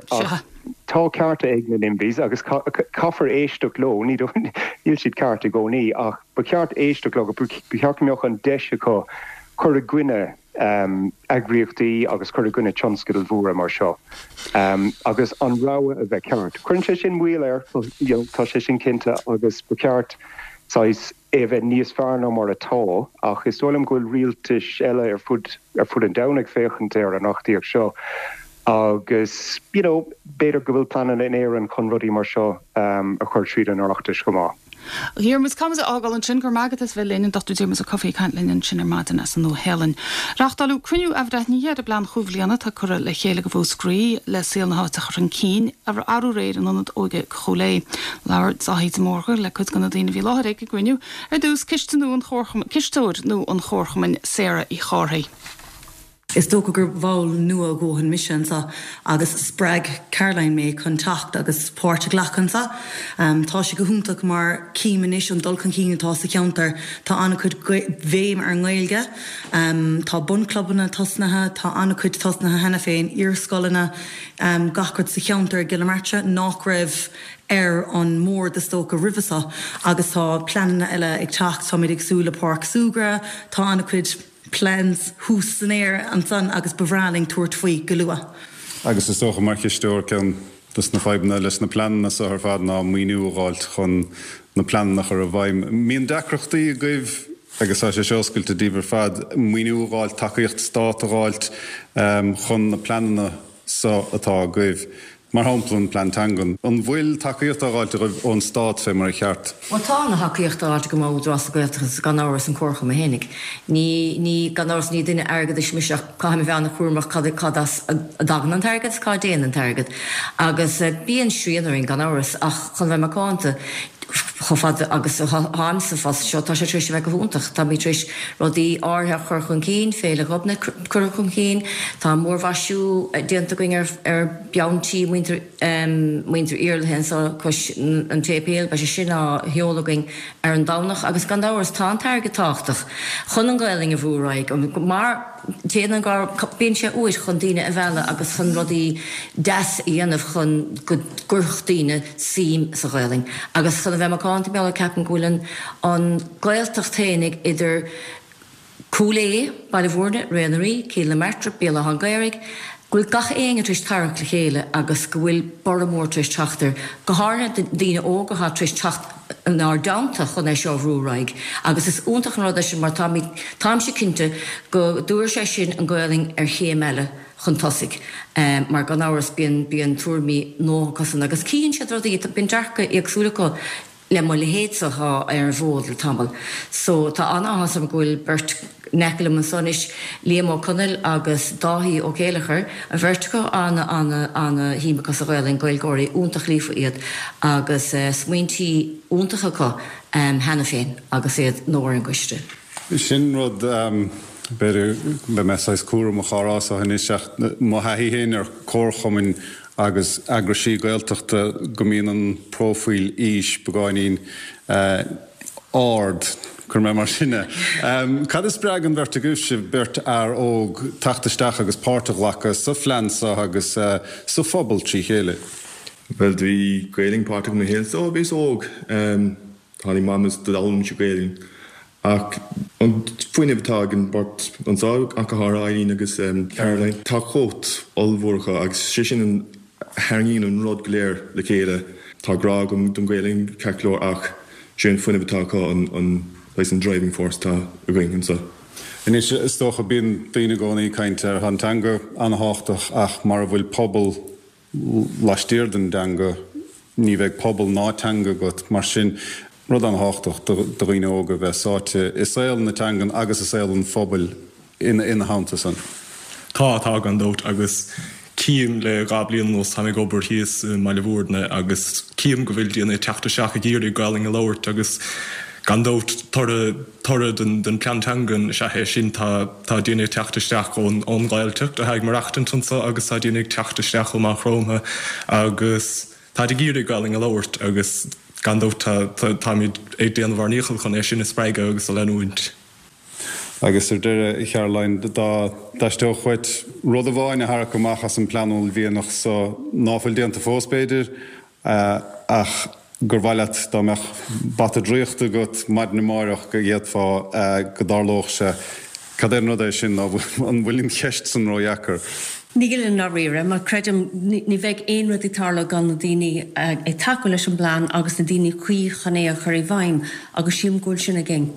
tá cearta ag na NIMBYs agus caithfear éisteacht leo ní níl siad ceart i gcónaí ach ba cheart éisteacht leo ba cheart go mbeadh an deis acu cur i gcoinne um, eagraíochtaí agus cur i gcoinne tionscadail mhóra mar seo. Um, agus an rogha a bheith ceart. Cuireann sé sin moill air you know, tá sé sin cinnte agus ba cheart saghas é bheith níos fearr ná mar atá ach is dóigh liom go bhfuil rialtais eile ar fud ar fud an domhain ag féachaint ar an reachtaíocht seo agus you know, b'fhéidir go bhfuil pleananna in Éirinn chun rudaí mar seo um, a chur tríd an Oireachtas chomh maith. Diarmuid Camas ágáil ansin gur magat is bheith linn an Dochtúir Diarmuid Ó Cofaigh caint linn ansin ar maidin as an Nua-Shéalainn. Reáchtáladh cruinniú athbhreithnithe ar an bplean chúig bhliana atá curtha le chéile ag Mhúscraí le saol na háite a chur chun cinn arú aréir in ionad óige Chúil Aodha. Labhair Dáithí de Mórdha le cuid de na daoine a bhí i láthair ag an gcruinniú ar dtús ciste nó an cisteoir nó an Chomharchumainn Sarah Uí Chárthaigh. Is dócha gur bhall nua dhóthain mise anseo agus spreag Caroline mé chun teacht agus páirt a ghlacadh anseo. Um, tá sé go hiontach mar cím anois an dul chun cinn atá sa cheantar tá an-chuid béim ar an nGaeilge, um, tá bunclubanna tosnaithe, tá an-chuid tosnaithe cheana féin iarscoileanna um, gach rud sa cheantar i gCill na Martra nach raibh ar an mbord is dócha roimhe seo agus tá pleananna eile ag teacht táimid ag súil le páirc súgartha, tá an-chuid plans thuas san aer ansan agus ba bhreá linn tabhairt faoi go luath. Agus is dócha mar chisteoir ceann de na fadhbanna leis na pleananna seo ar fad ná maoiniú a fháilt chun na pleananna a chur i bhfeidhm. Mbíonn deacrachtaí agaibh agus tá sé oscailte daoibh ar fad maoiniú a fháilt tacaíocht stáit a fháilt um, chun na pleananna seo atá agaibh. Mar shampla an plean teangan. An bhfuil tacaíocht á fháilt agaibh ón stát fé mar a cheart. Well tá an thacaíocht á fháilt go Údarás na Gaeltachta gan amhras an Comharchumann fhéinig. Ní ní gan amhras ní duine airgeadais mise ach caithfidh mé bheith an-chúramach cad cad as a dtagann an t-airgead cá dtéann an t-airgead. Agus uh, bíonn srian orainn gan amhras ach chun bheith macánta. chomh fada agus atáim sa phost seo, tá sé tar éis a bheith go hiontach. Táimid tar éis rudaí áirithe a chur chun cinn, Féile Ghobnait curtha chun cinn, tá múrmhaisiú déanta againn ar ar beann tí muintir muintir Iarlaithe anseo cois an tséipéil, beidh sé sin á sheoladh againn ar an Domhnach agus gan amhras tá an t-airgead tábhachtach chun an Ghaelainn a bhrú ar aghaidh mar téann an bíonn sé uait chun daoine a mhealladh agus chun rudaí deas a dhéanamh chun go gcuirfeadh daoine suim sa Ghaelainn agus chun a bheith macánta mar gheall ceapaim go bhfuil an an Ghaeltacht fhéinig idir Cúil Aodha, Baile Bhúirne, Ré na Rí, Cill na Martra, Béal Átha an Ghaorthaidh, go bhfuil gach éinne tar éis tarraingt le chéile agus go bhfuil borradh mór tar éis teacht air, go háirithe daoine óga atá tar éis teacht inár dteannta chun é seo a bhrú ar aghaidh agus is iontach an rud é sin mar táimid, táimse cinnte go dtabharfaidh sé sin an Ghaelainn ar chéim eile chun tosaigh mar gan amhras bíonn, bíonn tuairimí nua acusan agus cíonn siad rudaí, bíonn dearcadh éagsúil acu. le mo leithéidse atá ar an bhfód le tamall. So tá an-áthas orm go bhfuil beirt in aice liom anso anois, Liam Ó Conaill agus Dáithí Ó Céileachair, an bheirt acu ana, ana, ana shuim acu sa Ghaelainn, Gaeilgeoirí iontach líofa iad agus smaointí iontacha acu cheana féin agus iad nua ar an gcoiste. Sin rud, b'fhéidir, beidh mé saghas cúramach á rá so anois ach mo thaithí féin ar chomharchumainn agus eagraisí Gaeltachta go mbíonn an próifíl aois beagáinín ard, cuirfidh mé mar sin é. Cad a spreag an bheirt agaibhse, beirt fhear óg, teacht isteach agus páirt a ghlacadh sa phlean seo agus sa phobal trí chéile? Bhuel, bhí Gaelainn páirteach i mo shaol ó bhíos óg. Tháinig Mam is d'fhoghlaim mise Gaelainn. Ach an fuinneamh atá ag an bheirt anseo, ach go háirithe Eileen agus Caroline, tá cumhacht ollmhór acu agus sé sin an a tharraingíonn an rud go léir le chéile. Tá grá agam don Ghaelainn ceart go leor ach sé an fuinneamh atá acu an an saghas an driving force atá againn anseo. Anois, is dócha, bíonn daoine i gcónaí ag caint ar, tá an teanga an-thábhachtach ach mara bhfuil pobal laistiar den dteanga, ní bheidh pobal ná teanga agat. Mar sin, rud an-thábhachtach do dhaoine óga bheith sáite i saol na teangan agus i saol an phobail ina theannta san. Tá, tá gan dabht agus cím le dhá bliain anuas, táim ag obair thíos i mBaile Bhúirne agus cím go bhfuil daoine ag teacht isteach ag iarraidh Gaelainn a labhairt agus gan dabht toradh, toradh den, den plean teangan is ea é sin. Tá, tá daoine ag teacht isteach ón, ón Ghaeltacht atá ag maireachtaint anseo agus tá daoine ag teacht isteach ó Maigh Chromtha agus táid ag iarraidh Gaelainn a labhairt agus gan dabht tá, tá, táimid ag déanamh ár ndícheall chun é sin a spreagadh agus a leanúint. Agus ar deireadh, a Charoline, dá dteastódh uait rud amháin a tharrac amach as an bplean uaillmhianach so, ná fuil déanta fós b'fhéidir, ach gur mhaith leat dá mbeadh bata draíochta agat maidin amáireach go bhféadfá go dtarlódh sé. Cad é an rud é sin nó an bhfuil an cheist san ródheacair? Níl i ndáiríre, mar creidim ní bheidh aon rud ag tarlú gan na daoine ag tacú leis an bplean agus na daoine cuí chun é a chur i bhfeidhm agus sílim go bhfuil sin againn.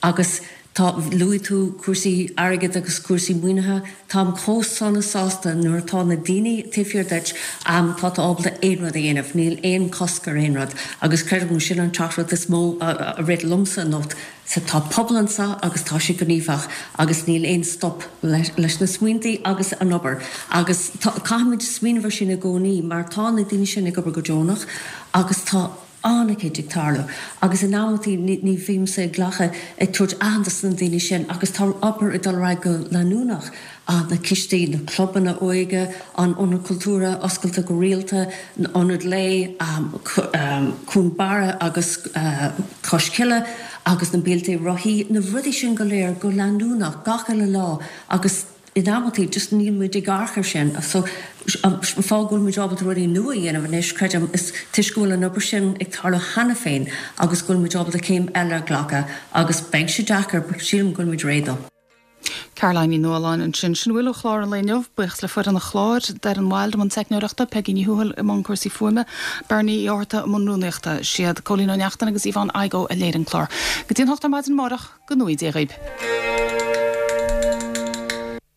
Agus tá, luaigh tú cúrsaí airgid agus cúrsaí maoinithe, táim chomh sona sásta nuair atá na daoine taobh thiar duit, tá tú ábalta aon rud a dhéanamh, níl aon chosc ar aon rud agus creidim go sin an teachtaireacht is mó a rith liomsa anocht, so tá pobal anseo agus tá sé gníomhach agus níl aon stop leis na smaointí agus an obair agus caithfimid smaoineamh ar sin i gcónaí mar tá na daoine sin ag obair go deonach agus tá an-chuid ag tarlú agus in amantaí ní bhímse ag glacadh ag tabhairt aitheantas do na daoine sin agus tá obair ag dul ar aghaidh go leanúnach, na cistí, na clubanna óige, an Ionad Cultúrtha oscailte go rialta, an Ionad Lae, Cuan Barra agus Cois Cille agus na bealtaí rothaí, na rudaí sin go léir go leanúnach gach uile lá agus in amantaí just níl muid ag amharc air sin so an fáth go bhfuil muid ábalta rudaí nua a dhéanamh anois creidim is toisc go bhfuil an obair sin ag tarlú cheana féin agus go bhfuil muid ábalta céim eile a ghlacadh agus beidh sé deacair but sílim go bhfuil muid réidh dó. Caroline Ní Nualláin ansin. Sin a bhfuil ó chlár an lae inniu. Buíochas le foireann an chláir, Darren Wilde i mbun teicneoireachta, Peigí Ní Thuathail i mbun cúrsaí fuaime, Bernie Uí Fhátharta i mbun rúnaíochta. Siad Cóilín Ó Neachtain agus Yvonne Igoe a léirigh an clár. Go dtí an hocht ar maidin amárach, go ngnóthaí Dia dhaoib.